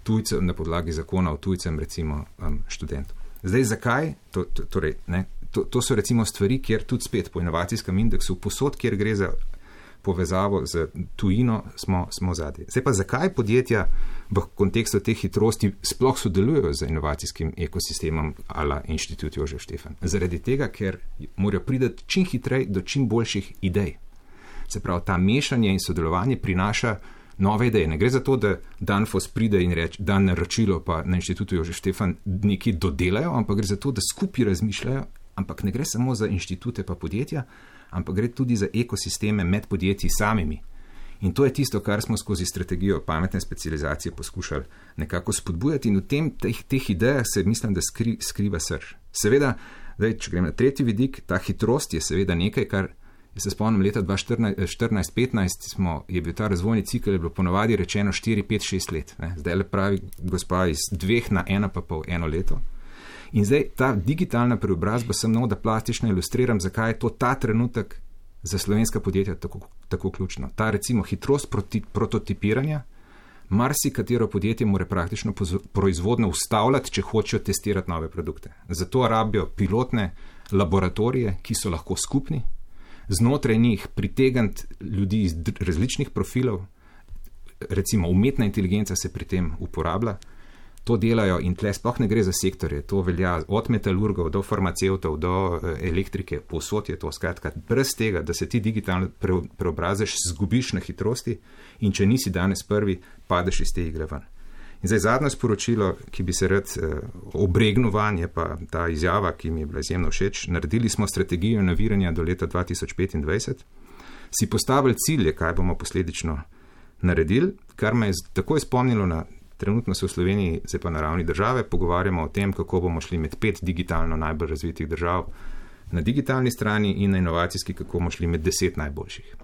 Speaker 3: tujcev na podlagi zakona o tujcem, recimo študentom. Zdaj, zakaj? to so recimo stvari, kjer tudi spet po inovacijskem indeksu, posod, kjer gre za povezavo z tujino, smo zadnji. Zdaj pa zakaj podjetja v kontekstu teh hitrosti sploh sodelujejo z inovacijskim ekosistemom ala Inštitut Jožef Štefan? Zaradi tega, ker morajo priti čim hitreje do čim boljših idej. Se pravi, ta mešanje in sodelovanje prinaša nove ideje. Ne gre za to, da Danfoss pride in reče, da naročilo pa na Inštitutu Jožef Štefan nekaj dodelajo, ampak gre za to, da skupaj razmišljajo, ampak ne gre samo za inštitute pa podjetja, ampak gre tudi za ekosisteme med podjetji samimi. In to je tisto, kar smo skozi strategijo pametne specializacije poskušali nekako spodbujati in v teh idejah se mislim, da skriva srž. Seveda, če grem na tretji vidik, ta hitrost je seveda nekaj, kar se spomnim leta 2014-15 je bil ta razvojni cikl, je bilo ponovadi rečeno 4, 5, 6 let. Ne? Zdaj le pravi gospa iz 2 na 1,5 leto. In zdaj ta digitalna preobrazba sem da plastično ilustriram, zakaj je to ta trenutek za slovenska podjetja tako ključno. Ta recimo hitrost prototipiranja, marsikatero podjetje mora praktično proizvodno ustavljati, če hočejo testirati nove produkte. Zato rabijo pilotne laboratorije, ki so lahko skupni, znotraj njih pritegniti ljudi iz različnih profilov, recimo umetna inteligenca se pri tem uporablja, to delajo in tle sploh ne gre za sektorje, to velja od metalurgov do farmacevtov, do elektrike, povsod je to, skratka, brez tega, da se ti digitalno preobraziš, zgubiš na hitrosti in če nisi danes prvi, padeš iz te igre ven. In zdaj zadnje sporočilo, ki bi se rad obregnil van, je pa ta izjava, ki mi je bila izjemno všeč. Naredili smo strategijo inoviranja do leta 2025, si postavili cilje, kaj bomo posledično naredili, kar me je takoj spomnilo na trenutno se v Sloveniji, zdaj pa na ravni države, pogovarjamo o tem, kako bomo šli med 5 digitalno najbolj razvitih držav na digitalni strani in na inovacijski, kako bomo šli med 10 najboljših.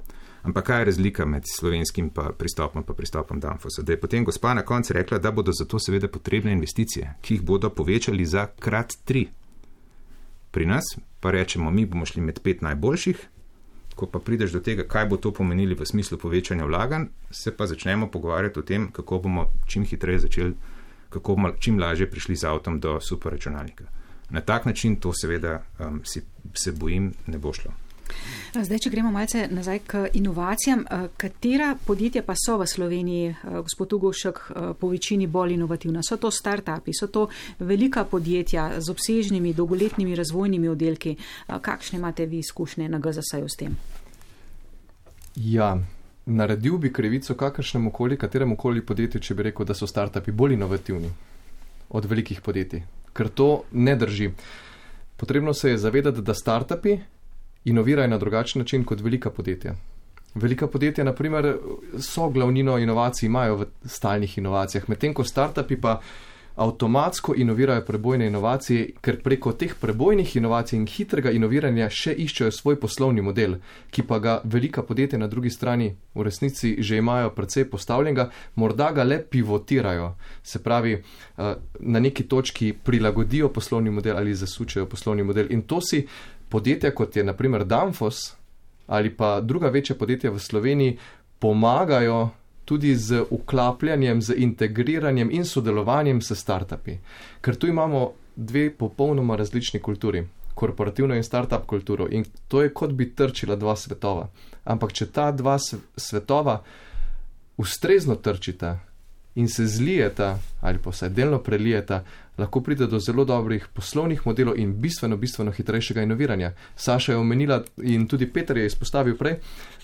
Speaker 3: Ampak kaj je razlika med slovenskim pristopom Danfossa? Da je potem gospa na koncu rekla, da bodo za to seveda potrebne investicije, ki jih bodo povečali za krat 3. Pri nas pa rečemo, mi bomo šli med 5 najboljših, ko pa prideš do tega, kaj bo to pomenili v smislu povečanja vlaganj, se pa začnemo pogovarjati o tem, kako bomo čim hitreje začeli, kako bomo čim lažje prišli z avtom do superračunalnika. Na tak način to seveda se bojim ne bo šlo.
Speaker 2: Zdaj, če gremo malce nazaj k inovacijam, katera podjetja pa so v Sloveniji, gospod Ugovšek, po večini bolj inovativna? So to start-upi, so to velika podjetja z obsežnimi, dolgoletnimi razvojnimi oddelki? Kakšne imate vi izkušnje na GZS-ju s tem?
Speaker 4: Ja, naredil bi krivico kateremukoli podjetju, če bi rekel, da so start-upi bolj inovativni od velikih podjetij, ker to ne drži. Potrebno se je zavedati, da start-upi inovirajo na drugačen način kot velika podjetja. Velika podjetja, na primer, so glavnino inovacij imajo v stalnih inovacijah, medtem ko startupi pa avtomatsko inovirajo prebojne inovacije, ker preko teh prebojnih inovacij in hitrega inoviranja še iščejo svoj poslovni model, ki pa ga velika podjetja na drugi strani v resnici že imajo precej postavljenega, morda ga le pivotirajo, se pravi, na neki točki prilagodijo poslovni model ali zasučejo poslovni model. In to si podjetja, kot je na primer Danfoss ali pa druga večja podjetja v Sloveniji, pomagajo tudi z vklapljanjem, z integriranjem in sodelovanjem s startupi. Ker tu imamo 2 popolnoma različni kulturi, korporativno in startup kulturo, in to je kot bi trčila 2 svetova. Ampak če ta 2 svetova ustrezno trčita in se zlijeta ali pa vsaj delno prelijeta, lahko pride do zelo dobrih poslovnih modelov in bistveno hitrejšega inoviranja. Saša je omenila in tudi Peter je izpostavil prej,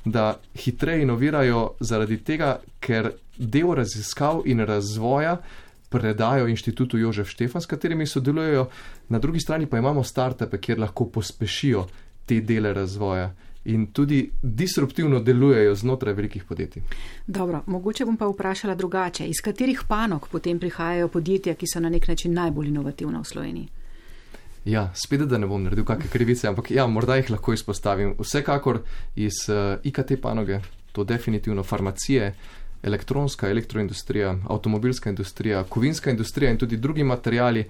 Speaker 4: da hitreje inovirajo zaradi tega, ker del raziskav in razvoja predajo Inštitutu Jožef Štefan, s katerimi sodelujejo, na drugi strani pa imamo startupe, kjer lahko pospešijo te dele razvoja in tudi disruptivno delujejo znotraj velikih podjetij.
Speaker 2: Dobro, mogoče bom pa vprašala drugače. Iz katerih panog potem prihajajo podjetja, ki so na nek način najbolj inovativna v Sloveniji?
Speaker 4: Ja, spet, da ne bom naredil kakšne krivice, ampak ja, morda jih lahko izpostavim. Vsekakor iz IKT panoge, to definitivno farmacije, elektronska, elektroindustrija, avtomobilska industrija, kovinska industrija in tudi drugi materijali,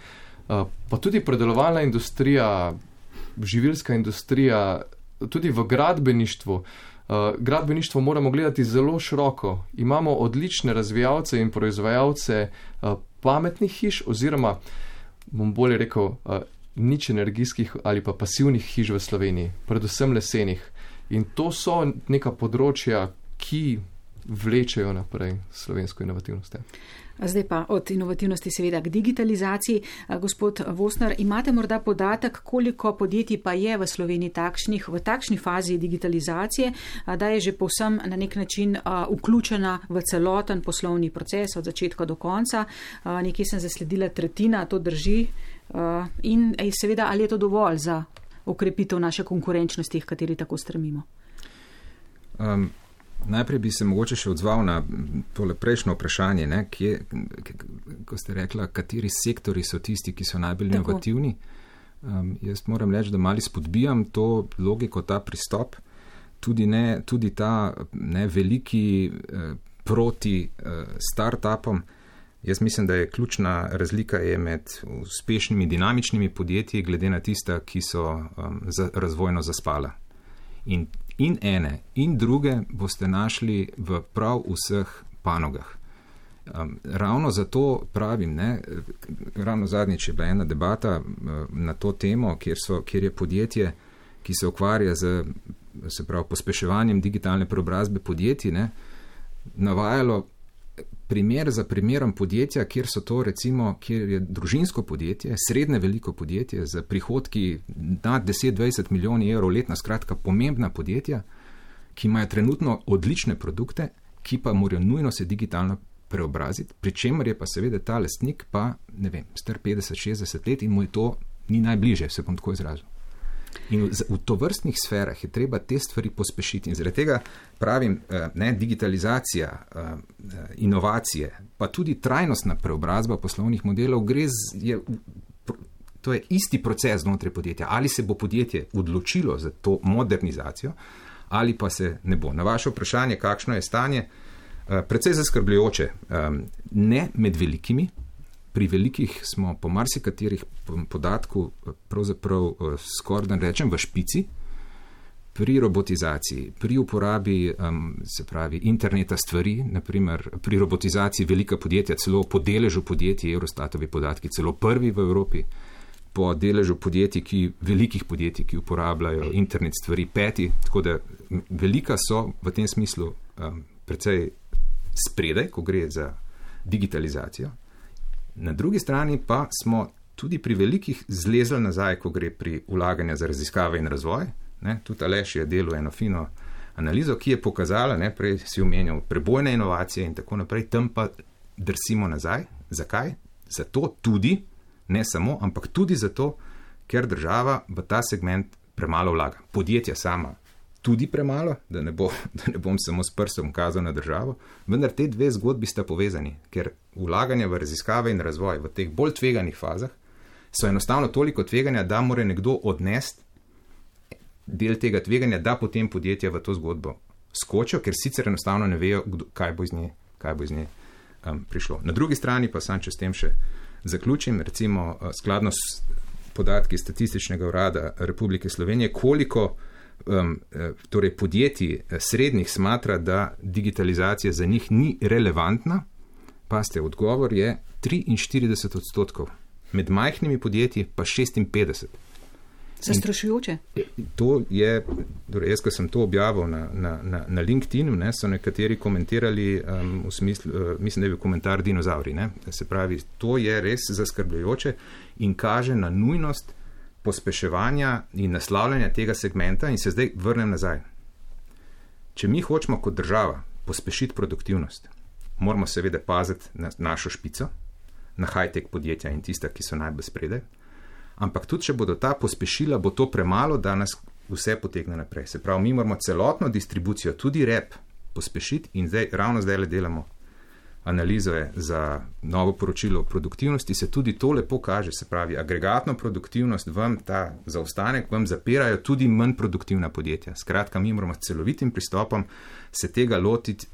Speaker 4: pa tudi predelovalna industrija, živilska industrija, tudi v gradbeništvu. Gradbeništvo moramo gledati zelo široko. Imamo odlične razvijalce in proizvajalce pametnih hiš oziroma, bom bolje rekel, nič energijskih ali pa pasivnih hiš v Sloveniji, predvsem lesenih. In to so neka področja, ki vlečejo naprej slovensko inovativnost.
Speaker 2: Zdaj pa od inovativnosti seveda k digitalizaciji. Gospod Vosner, imate morda podatek, koliko podjetij pa je v Sloveniji v takšni fazi digitalizacije, da je že povsem na nek način vključena v celoten poslovni proces od začetka do konca. Nekje sem zasledila tretjina, to drži. In seveda, ali je to dovolj za okrepitev naše konkurenčnosti, v kateri tako stremimo?
Speaker 3: Najprej bi se mogoče še odzval na tole prejšnjo vprašanje, ko ste rekla, kateri sektori so tisti, ki so najbolj inovativni. Jaz moram reči, da malo spodbijam to logiko, ta pristop, tudi ta veliki proti startupom. Jaz mislim, da je ključna razlika med uspešnimi dinamičnimi podjetji glede na tista, ki so razvojno zaspala. In ene in druge boste našli v prav vseh panogah. Ravno zato pravim, ravno zadnjič je bila ena debata na to temo, kjer je podjetje, ki se ukvarja z pospeševanjem digitalne preobrazbe podjetij, navajalo primer za primerom podjetja, kjer je družinsko podjetje, srednje veliko podjetje z prihodki nad 10-20 milijonov evrov letno, skratka pomembna podjetja, ki imajo trenutno odlične produkte, ki pa morajo nujno se digitalno preobraziti, pri čemer je pa seveda ta lastnik star 50-60 let in mu je to ni najbliže, se bom tako izrazil. In v tovrstnih sferah je treba te stvari pospešiti in zaradi tega pravim, digitalizacija, inovacije, pa tudi trajnostna preobrazba poslovnih modelov to je isti proces znotraj podjetja. Ali se bo podjetje odločilo za to modernizacijo ali pa se ne bo. Na vaše vprašanje, kakšno je stanje, precej zaskrbljujoče, ne med velikimi. Pri velikih smo po marsikaterih podatku pravzaprav skoraj da rečem v špici, pri robotizaciji, pri uporabi interneta stvari, naprimer pri robotizaciji velika podjetja, celo po deležu podjetij, Eurostatovi podatki, celo prvi v Evropi, po deležu velikih podjetij, ki uporabljajo internet stvari, peti, tako da velika so v tem smislu precej spredaj, ko gre za digitalizacijo. Na drugi strani pa smo tudi pri velikih zlezli nazaj, ko gre pri vlaganju za raziskave in razvoj. Tudi Aleš je delal eno fino analizo, ki je pokazala, prej si omenjal prebojne inovacije in tako naprej, tam pa drsimo nazaj. Zakaj? Zato tudi, ne samo, ampak tudi zato, ker država v ta segment premalo vlaga. Podjetja sama tudi premalo, da ne bom samo s prstom kazal na državo, vendar te dve zgodbi sta povezani, ker vlaganja v raziskave in razvoj v teh bolj tveganih fazah so enostavno toliko tveganja, da mora nekdo odnesti del tega tveganja, da potem podjetja v to zgodbo skočijo, ker sicer enostavno ne vejo, kaj bo iz nje prišlo. Na drugi strani pa sam, če s tem še zaključim, recimo skladno s podatki Statističnega urada Republike Slovenije, koliko podjetij srednjih smatra, da digitalizacija za njih ni relevantna, pa odgovor je 43%, med majhnimi podjetji pa 56%.
Speaker 2: Zastrašujoče.
Speaker 3: To je, jaz, ko sem to objavil na LinkedIn, so nekateri komentirali v smislu, mislim, da je bil komentar dinozauri. Se pravi, to je res zaskrbljujoče in kaže na nujnost pospeševanja in naslavljanja tega segmenta in se zdaj vrnem nazaj. Če mi hočemo kot država pospešiti produktivnost, moramo seveda paziti na našo špico, na high-tech podjetja in tista, ki so najbolj spredaj, ampak tudi, če bodo ta pospešila, bo to premalo, da nas vse potegne naprej. Se pravi, mi moramo celotno distribucijo, tudi rep, pospešiti in ravno zdaj le delamo analizo za novo poročilo o produktivnosti, se tudi to lepo kaže, se pravi, agregatno produktivnost, ta zaostanek vam zapirajo tudi manj produktivna podjetja. Skratka, mi moramo s celovitim pristopom se tega lotiti,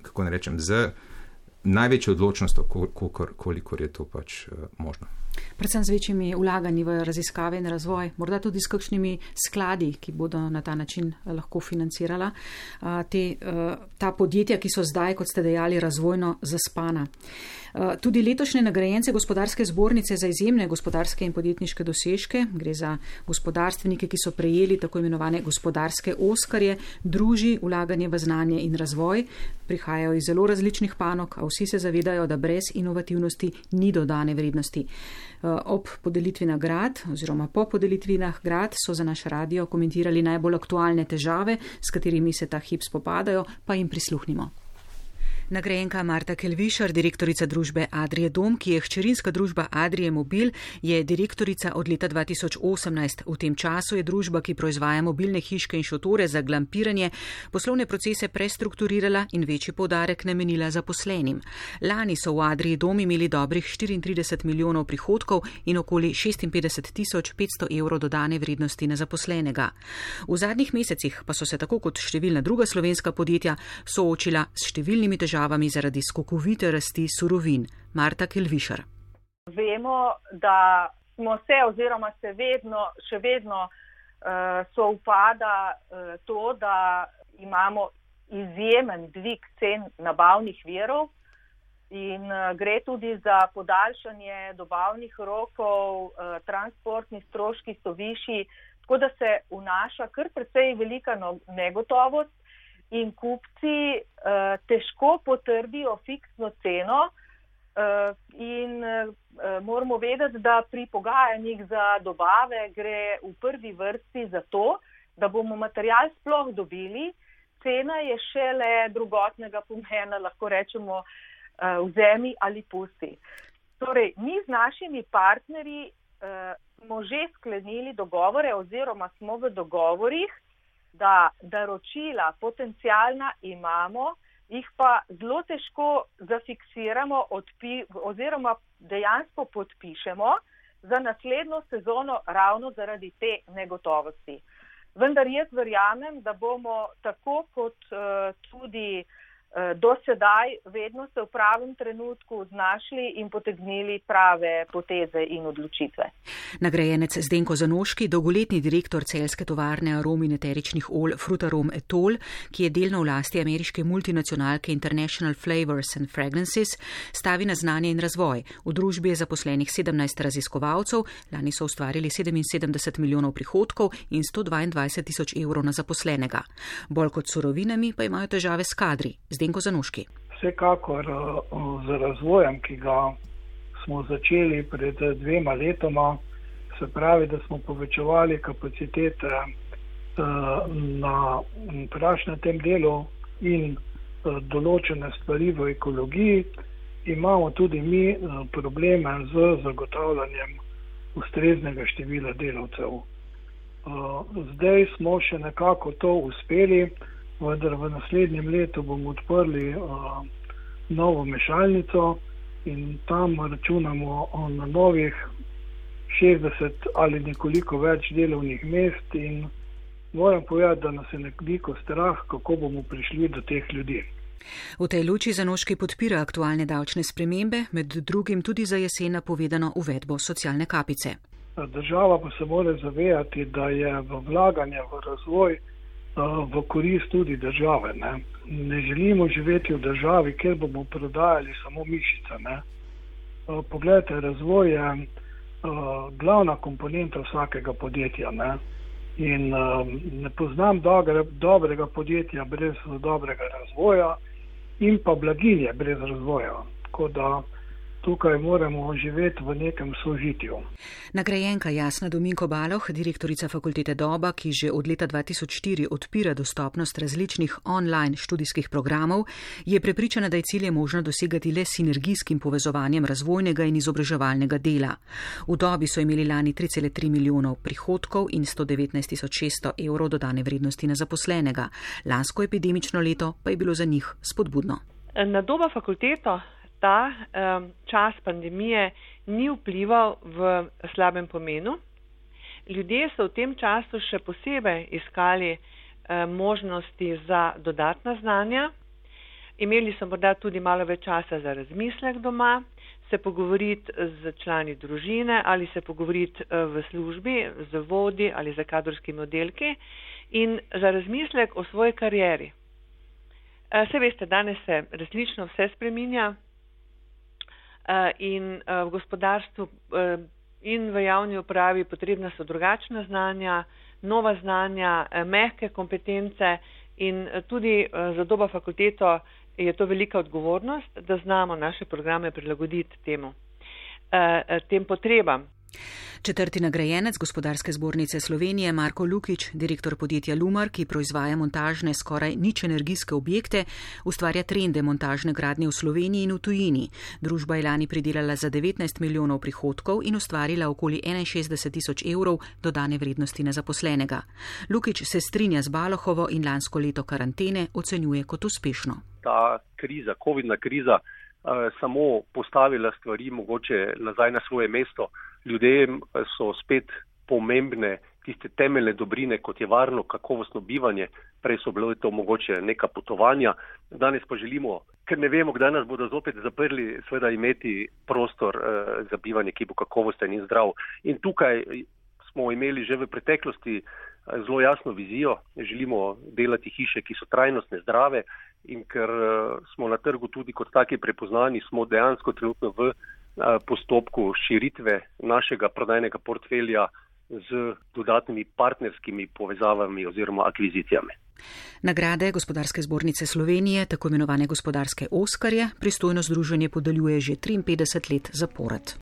Speaker 3: kako ne rečem, z največjo odločnostjo, kolikor je to pač možno.
Speaker 2: Predvsem z večjimi vlaganji v raziskave in razvoj, morda tudi s kakšnimi skladi, ki bodo na ta način lahko financirala ta podjetja, ki so zdaj, kot ste dejali, razvojno zaspana. Tudi letošnje nagrajence Gospodarske zbornice za izjemne gospodarske in podjetniške dosežke, gre za gospodarstvenike, ki so prejeli tako imenovane gospodarske oskarje, druži vlaganje v znanje in razvoj, prihajajo iz zelo različnih panog, a vsi se zavedajo, da brez inovativnosti ni dodane vrednosti. Ob podelitvi nagrad oziroma po podelitvi nagrad so za naš radio komentirali najbolj aktualne težave, s katerimi se ta hip spopadajo, pa jim prisluhnimo. Nagrajenka Marta Kelvišar, direktorica družbe Adrie Dom, ki je hčerinska družba Adrie Mobil, je direktorica od leta 2018. V tem času je družba, ki proizvaja mobilne hiške in šotore za glampiranje, poslovne procese prestrukturirala in večji poudarek namenila zaposlenim. Lani so v Adrie Dom imeli dobrih 34 milijonov prihodkov in okoli 56.500 evrov dodane vrednosti na zaposlenega. V zadnjih mesecih pa so se tako kot številna druga slovenska podjetja soočila s številnimi težavami zaradi skokovite rasti surovin. Marta Kelvišar.
Speaker 7: Vemo, da smo se oziroma se še vedno sovpada to, da imamo izjemen dvig cen nabavnih virov in gre tudi za podaljšanje dobavnih rokov, transportni stroški so višji, tako da se vnaša kar precej velika negotovost. In kupci težko potrdijo fiksno ceno in moramo vedeti, da pri pogajanjih za dobave gre v prvi vrsti za to, da bomo material sploh dobili. Cena je šele drugotnega pomena, lahko rečemo, vzemi ali pusti. Torej, mi z našimi partnerji smo že sklenili dogovore oziroma smo v dogovorih, da naročila potencialna imamo, jih pa zelo težko zafiksiramo oziroma dejansko podpišemo za naslednjo sezono ravno zaradi te negotovosti. Vendar jaz verjamem, da bomo tako kot tudi do sedaj vedno se v pravem trenutku znašli in potegnili prave poteze in odločitve.
Speaker 2: Nagrajenec Zdenko Zanoški, dolgoletni direktor celjske tovarne arom in eteričnih olj Frutarom Etol, ki je delno v lasti ameriške multinacionalke International Flavors and Fragrances, stavi na znanje in razvoj. V družbi je zaposlenih 17 raziskovalcev, lani so ustvarili 77 milijonov prihodkov in 122.000 evrov na zaposlenega. Bolj kot surovinami pa imajo težave s kadri. Zdenko Zanoški.
Speaker 8: Vsekakor z razvojem, ki ga smo začeli pred 2 letoma, se pravi, da smo povečevali kapacitete na prašnem delu in določene stvari v ekologiji, imamo tudi mi probleme z zagotavljanjem ustreznega števila delavcev. Zdaj smo še nekako to uspeli, vendar v naslednjem letu bomo odprli novo mešalnico in tam računamo na novih 60 ali nekoliko več delovnih mest in moram povedati, da nas je nekoliko strah, kako bomo prišli do teh ljudi.
Speaker 2: V tej luči Zanoški podpira aktualne davčne spremembe, med drugim tudi za jesen napovedano uvedbo socialne kapice.
Speaker 8: Država pa se mora zavedati, da je v vlaganje v razvoj v korist tudi države. Ne želimo živeti v državi, kjer bomo prodajali samo mišice. Poglejte, razvoj je glavna komponenta vsakega podjetja. In ne poznam dobrega podjetja brez dobrega razvoja in pa blaginje brez razvoja. Tako da tukaj moramo živeti v nekem sožitju.
Speaker 2: Nagrajenka Jasna Dominko-Baloh, direktorica fakultete Doba, ki že od leta 2004 odpira dostopnost različnih online študijskih programov, je prepričana, da je cilje možno dosegati le sinergijskim povezovanjem razvojnega in izobraževalnega dela. V Dobi so imeli lani 3,3 milijonov prihodkov in 119.600 evrov dodane vrednosti na zaposlenega. Lansko epidemično leto pa je bilo za njih spodbudno.
Speaker 9: Na Doba fakulteto ta čas pandemije ni vplival v slabem pomenu. Ljudje so v tem času še posebej iskali možnosti za dodatna znanja. Imeli so morda tudi malo več časa za razmislek doma, se pogovoriti z člani družine ali se pogovoriti v službi, z vodi ali z kadrovskimi oddelki in za razmislek o svoji karieri. Se veste, danes se resnično vse spreminja in v gospodarstvu in v javni upravi potrebna so drugačna znanja, nova znanja, mehke kompetence in tudi za Doba fakulteto je to velika odgovornost, da znamo naše programe prilagoditi tem potrebam.
Speaker 2: Četrti nagrajenec Gospodarske zbornice Slovenije Marko Lukič, direktor podjetja Lumar, ki proizvaja montažne skoraj nič energijske objekte, ustvarja trende montažne gradnje v Sloveniji in v tujini. Družba je lani pridelala za 19 milijonov prihodkov in ustvarila okoli 61 tisoč evrov dodane vrednosti na zaposlenega. Lukič se strinja z Balohovo in lansko leto karantene ocenjuje kot uspešno.
Speaker 10: Ta kriza, covidna kriza, samo postavila stvari mogoče nazaj na svoje mesto. Ljudem so spet pomembne tiste temeljne dobrine, kot je varno, kakovostno bivanje. Prej so bilo to mogoče neka potovanja. Danes pa želimo, ker ne vemo, kdaj nas bodo zopet zaprli, seveda imeti prostor za bivanje, ki bo kakovosten in zdrav. In tukaj smo imeli že v preteklosti zelo jasno vizijo. Želimo delati hiše, ki so trajnostne, zdrave in ker smo na trgu tudi kot taki prepoznani, smo dejansko trenutno v postopku širitve našega prodajnega portfelja z dodatnimi partnerskimi povezavami oziroma akvizicijami.
Speaker 2: Nagrade Gospodarske zbornice Slovenije, tako imenovane gospodarske Oskarje, pristojno združenje podeljuje že 53 let zapored.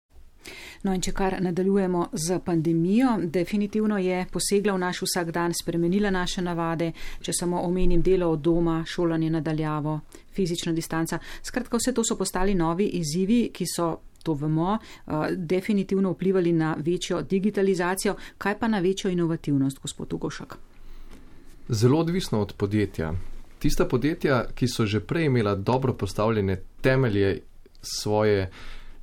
Speaker 2: No in če kar nadaljujemo z pandemijo, definitivno je posegla v naš vsakdan, spremenila naše navade, če samo omenim delo od doma, šolanje nadaljavo, fizična distanca. Skratka, vse to so postali novi izzivi, ki so, to vemo, definitivno vplivali na večjo digitalizacijo. Kaj pa na večjo inovativnost, gospod Ugošek?
Speaker 4: Zelo odvisno od podjetja. Tista podjetja, ki so že prej imela dobro postavljene temelje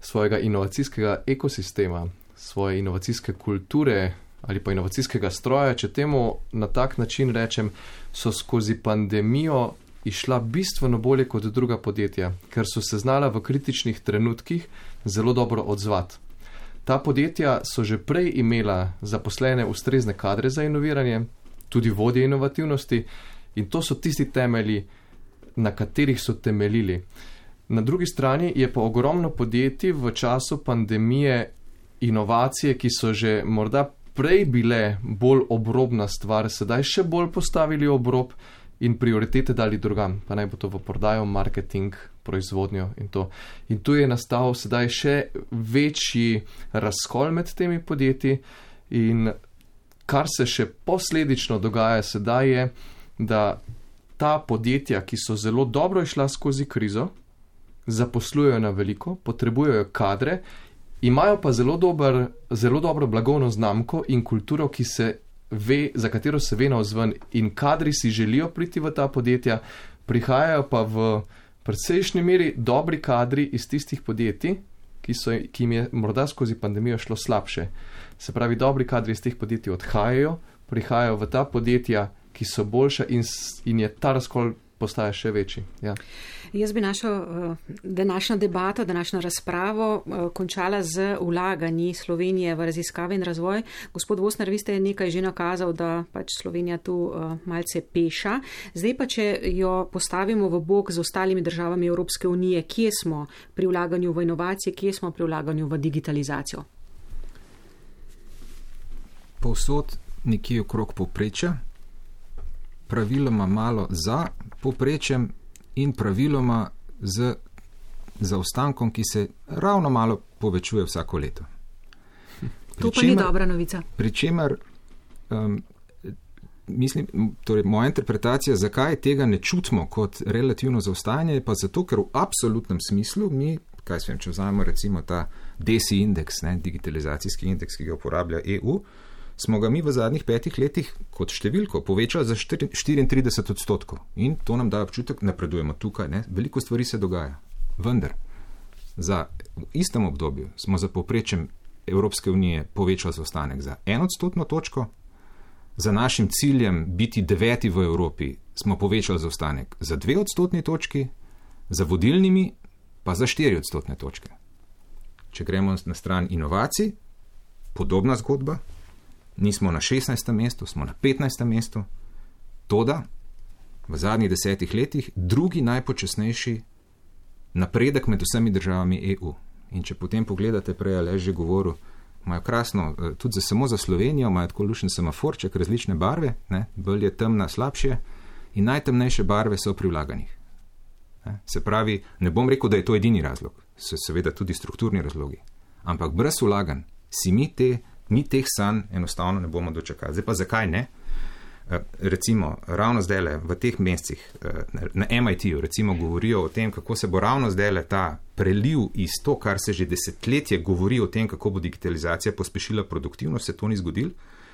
Speaker 4: svojega inovacijskega ekosistema, svoje inovacijske kulture ali pa inovacijskega stroja, če temu na tak način rečem, so skozi pandemijo išla bistveno bolje kot druga podjetja, ker so se znala v kritičnih trenutkih zelo dobro odzvati. Ta podjetja so že prej imela zaposlene ustrezne kadre za inoviranje, tudi vodje inovativnosti in to so tisti temelji, na katerih so temeljili. Na drugi strani je pa ogromno podjetij v času pandemije inovacije, ki so že morda prej bile bolj obrobna stvar, sedaj še bolj postavili obrob in prioritete dali drugam, pa naj bo to v prodajo, marketing, proizvodnjo in to. In tu je nastal sedaj še večji razkol med temi podjetji in kar se še posledično dogaja sedaj je, da ta podjetja, ki so zelo dobro išla skozi krizo, zaposlujejo na veliko, potrebujejo kadre, imajo pa zelo dobro blagovno znamko in kulturo, ki se ve, za katero se ve navzven in kadri si želijo priti v ta podjetja, prihajajo pa v precejšnji meri dobri kadri iz tistih podjetij, ki jim je morda skozi pandemijo šlo slabše. Se pravi, dobri kadri iz teh podjetij odhajajo, prihajajo v ta podjetja, ki so boljša in je ta razkol postaja še večji. Ja.
Speaker 2: Jaz bi našo današnjo debato, današnjo razpravo končala z vlaganji Slovenije v raziskave in razvoj. Gospod Vosner, vi ste nekaj že nakazal, da pač Slovenija tu malce peša. Zdaj pa, če jo postavimo v bok z ostalimi državami Evropske unije, kje smo pri vlaganju v inovacije, kje smo pri vlaganju v digitalizacijo?
Speaker 3: Povsod nekje okrog povprečja, praviloma malo za povprečjem in praviloma z zaostankom, ki se ravno malo povečuje vsako leto.
Speaker 2: To pa ni dobra novica.
Speaker 3: Pričemer, mislim, torej moja interpretacija, zakaj tega ne čutimo kot relativno zaostajanje, je pa zato, ker v absolutnem smislu mi, kaj svem, če vzamemo recimo ta DESI indeks, digitalizacijski indeks, ki ga uporablja EU, smo ga mi v zadnjih 5 letih kot številko povečali za 34%. In to nam daje občutek, napredujemo tukaj. Veliko stvari se dogaja. Vendar, v istem obdobju smo za povprečjem Evropske unije povečali zaostanek za 1% točko, za našim ciljem biti 9. v Evropi smo povečali zaostanek za 2% točki, za vodilnimi pa za 4% točke. Če gremo na stran inovacij, podobna zgodba, nismo na 16. mestu, smo na 15. mestu, toda v zadnjih 10 letih drugi najpočasnejši napredek med vsemi državami EU. In če potem pogledate, prej Aleš že govoril, imajo krasno, tudi samo za Slovenijo, imajo tako lušen semaforček, različne barve, bolj je temna, slabše, in najtemnejše barve so pri vlaganjih. Se pravi, ne bom rekel, da je to edini razlog, so seveda tudi strukturni razlogi, ampak brez vlaganj si mi teh sanj enostavno ne bomo dočakali. Zdaj pa zakaj ne? Recimo, ravno zdajle v teh mesecih na MIT-u recimo govorijo o tem, kako se bo ravno zdajle ta preliv iz to, kar se že desetletje govori o tem, kako bo digitalizacija pospešila produktivnost, se to ni zgodilo.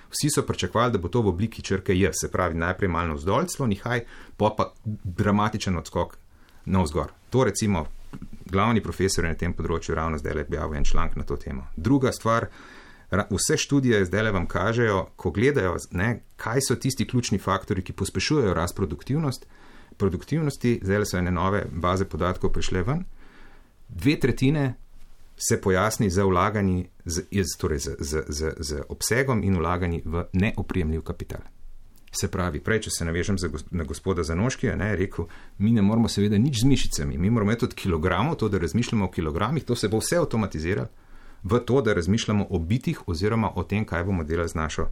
Speaker 3: Vsi so pričakovali, da bo to v obliki črke J, se pravi najprej malo navzdol, celo nihaj, pa dramatičen odskok navzgor. To recimo glavni profesor na tem področju ravno zdajle objavil en članek na to temo. Druga stvar, vse študije zdaj vam kažejo, ko gledajo, kaj so tisti ključni faktori, ki pospešujejo rast produktivnosti, zdaj so ene nove baze podatkov prišle ven, 2/3 se pojasni za vlaganji, torej z obsegom in vlaganji v neoprijemljiv kapital. Se pravi, prej, če se navežem na gospoda Zanoškija, rekel, mi ne moramo seveda nič z mišicami, mi moramo imeti od kilogramov, to, da razmišljamo o kilogramih, to se bo vse avtomatiziralo, v to, da razmišljamo o bitih oziroma o tem, kaj bomo delali z našo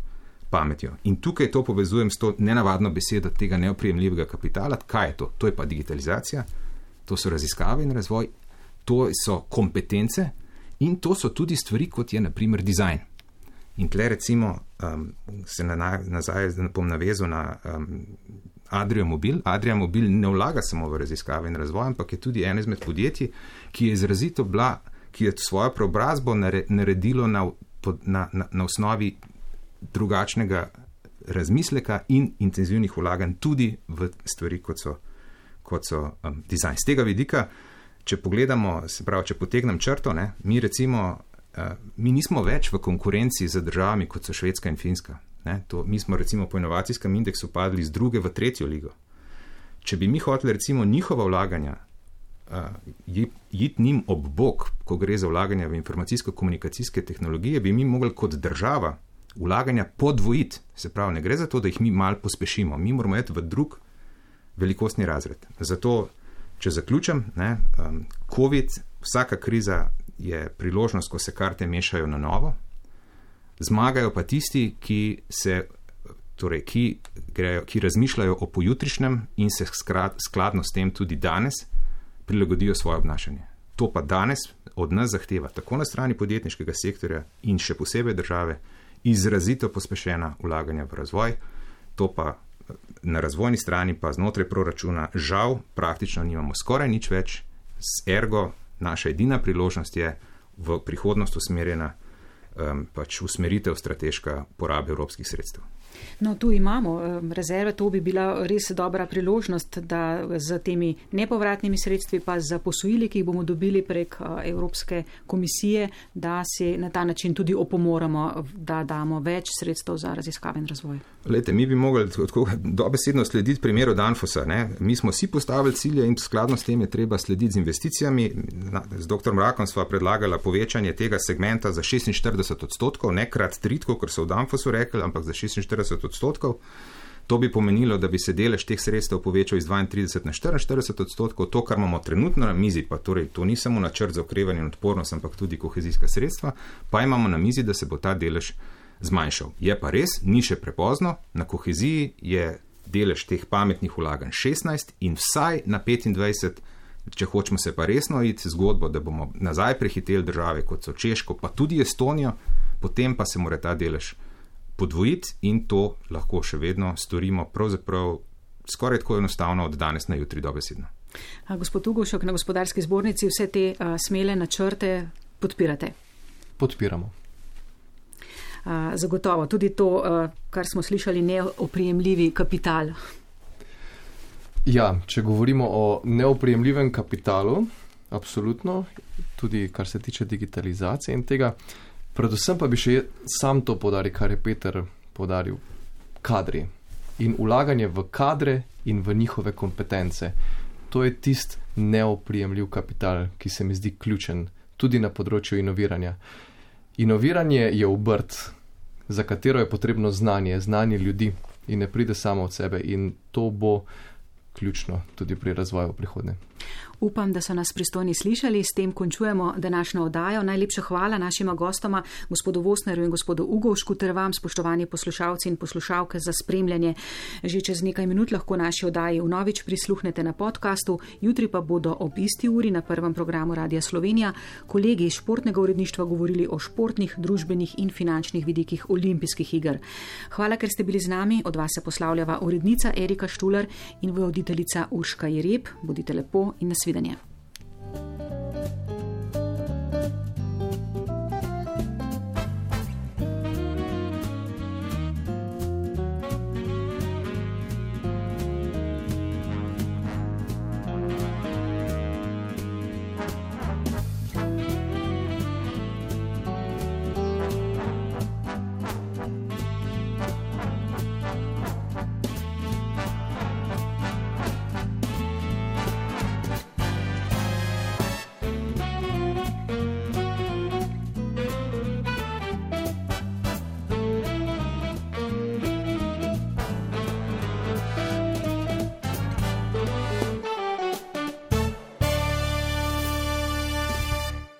Speaker 3: pametjo. In tukaj to povezujem s to nenavadno besedo tega neoprijemljivega kapitala. Kaj je to? To je pa digitalizacija, to so raziskave in razvoj, to so kompetence in to so tudi stvari, kot je na primer dizajn. In tle recimo se nazaj bom navezal na Adria Mobil. Adria Mobil ne vlaga samo v raziskave in razvoj, ampak je tudi eno izmed podjetij, ki je izrazito ki je svojo preobrazbo naredilo na osnovi drugačnega razmisleka in intenzivnih vlaganj tudi v stvari, kot so dizajn. Z tega vidika, če pogledamo, se pravi, če potegnem črto, mi nismo več v konkurenci z državami, kot so Švedska in Finska. Mi smo recimo po inovacijskem indeksu padli z 2. v 3. ligo. Če bi mi hoteli recimo njihova vlaganja iti njim ob bok, ko gre za vlaganja v informacijsko-komunikacijske tehnologije, bi mi mogli kot država vlaganja podvojiti. Se pravi, ne gre za to, da jih mi malo pospešimo. Mi moramo iti v drug velikostni razred. Zato, če zaključim, COVID, vsaka kriza je priložnost, ko se karte mešajo na novo. Zmagajo pa tisti, ki razmišljajo o pojutrišnjem in se skladno s tem tudi danes prilagodijo svoje obnašanje. To pa danes od nas zahteva, tako na strani podjetniškega sektorja in še posebej države, izrazito pospešena vlaganja v razvoj. To pa na razvojni strani pa znotraj proračuna žal praktično nimamo skoraj nič več, ergo naša edina priložnost je v prihodnost usmerjena usmeritev strateška porabe evropskih sredstev.
Speaker 2: No, tu imamo rezerve, to bi bila res dobra priložnost, da z temi nepovratnimi sredstvi pa za posojili, ki jih bomo dobili prek Evropske komisije, da se na ta način tudi opomoramo, da damo več sredstev za raziskave in razvoj.
Speaker 3: Lejte, mi bi mogli dobesedno slediti primeru Danfosa. Mi smo si postavili cilje in skladno s tem je treba slediti z investicijami. Z dr. Mrakom sva predlagala povečanje tega segmenta za 46%, ne krat 3, kot so v Danfosu rekli, ampak za 46%. To bi pomenilo, da bi se delež teh sredstev povečal iz 32 na 44%. To, kar imamo trenutno na mizi, pa torej to ni samo načrt za okrevanje in odpornost, ampak tudi kohezijska sredstva, pa imamo na mizi, da se bo ta delež zmanjšal. Je pa res, ni še prepozno, na koheziji je delež teh pametnih vlaganj 16 in vsaj na 25, če hočemo se pa resno iti zgodbo, da bomo nazaj prehiteli države, kot so Češko, pa tudi Estonijo, potem pa se mora ta delež podvojiti in to lahko še vedno storimo pravzaprav skoraj tako enostavno od danes na jutri dobesedno.
Speaker 2: Gospod Ugošek, na Gospodarski zbornici vse te smele načrte podpirate?
Speaker 4: Podpiramo.
Speaker 2: Zagotovo. Tudi to, kar smo slišali, neoprijemljivi kapital.
Speaker 4: Ja, če govorimo o neoprijemljivem kapitalu, absolutno, tudi kar se tiče digitalizacije in tega, predvsem pa bi še sam to podaril, kar je Peter podaril, kadri in vlaganje v kadre in v njihove kompetence. To je tisti neoprijemljiv kapital, ki se mi zdi ključen tudi na področju inoviranja. Inoviranje je obrt, za katero je potrebno znanje ljudi in ne pride samo od sebe in to bo ključno tudi pri razvoju v prihodnje.
Speaker 2: Upam, da so nas pristojni slišali. S tem končujemo današnjo oddajo. Najlepša hvala našima gostoma, gospodu Vosnerju in gospodu Ugovšku, ter vam, spoštovani poslušalci in poslušalke, za spremljanje. Že čez nekaj minut lahko naši oddaji vnovič prisluhnete na podkastu, jutri pa bodo ob isti uri na prvem programu Radia Slovenija kolegi iz športnega uredništva govorili o športnih, družbenih in finančnih vidikih olimpijskih iger. Hvala, ker ste bili z nami. Od vas se poslavljava urednica Erika Štular in voditeljica Urška Jereb. Bodite lepo in nasvidenje.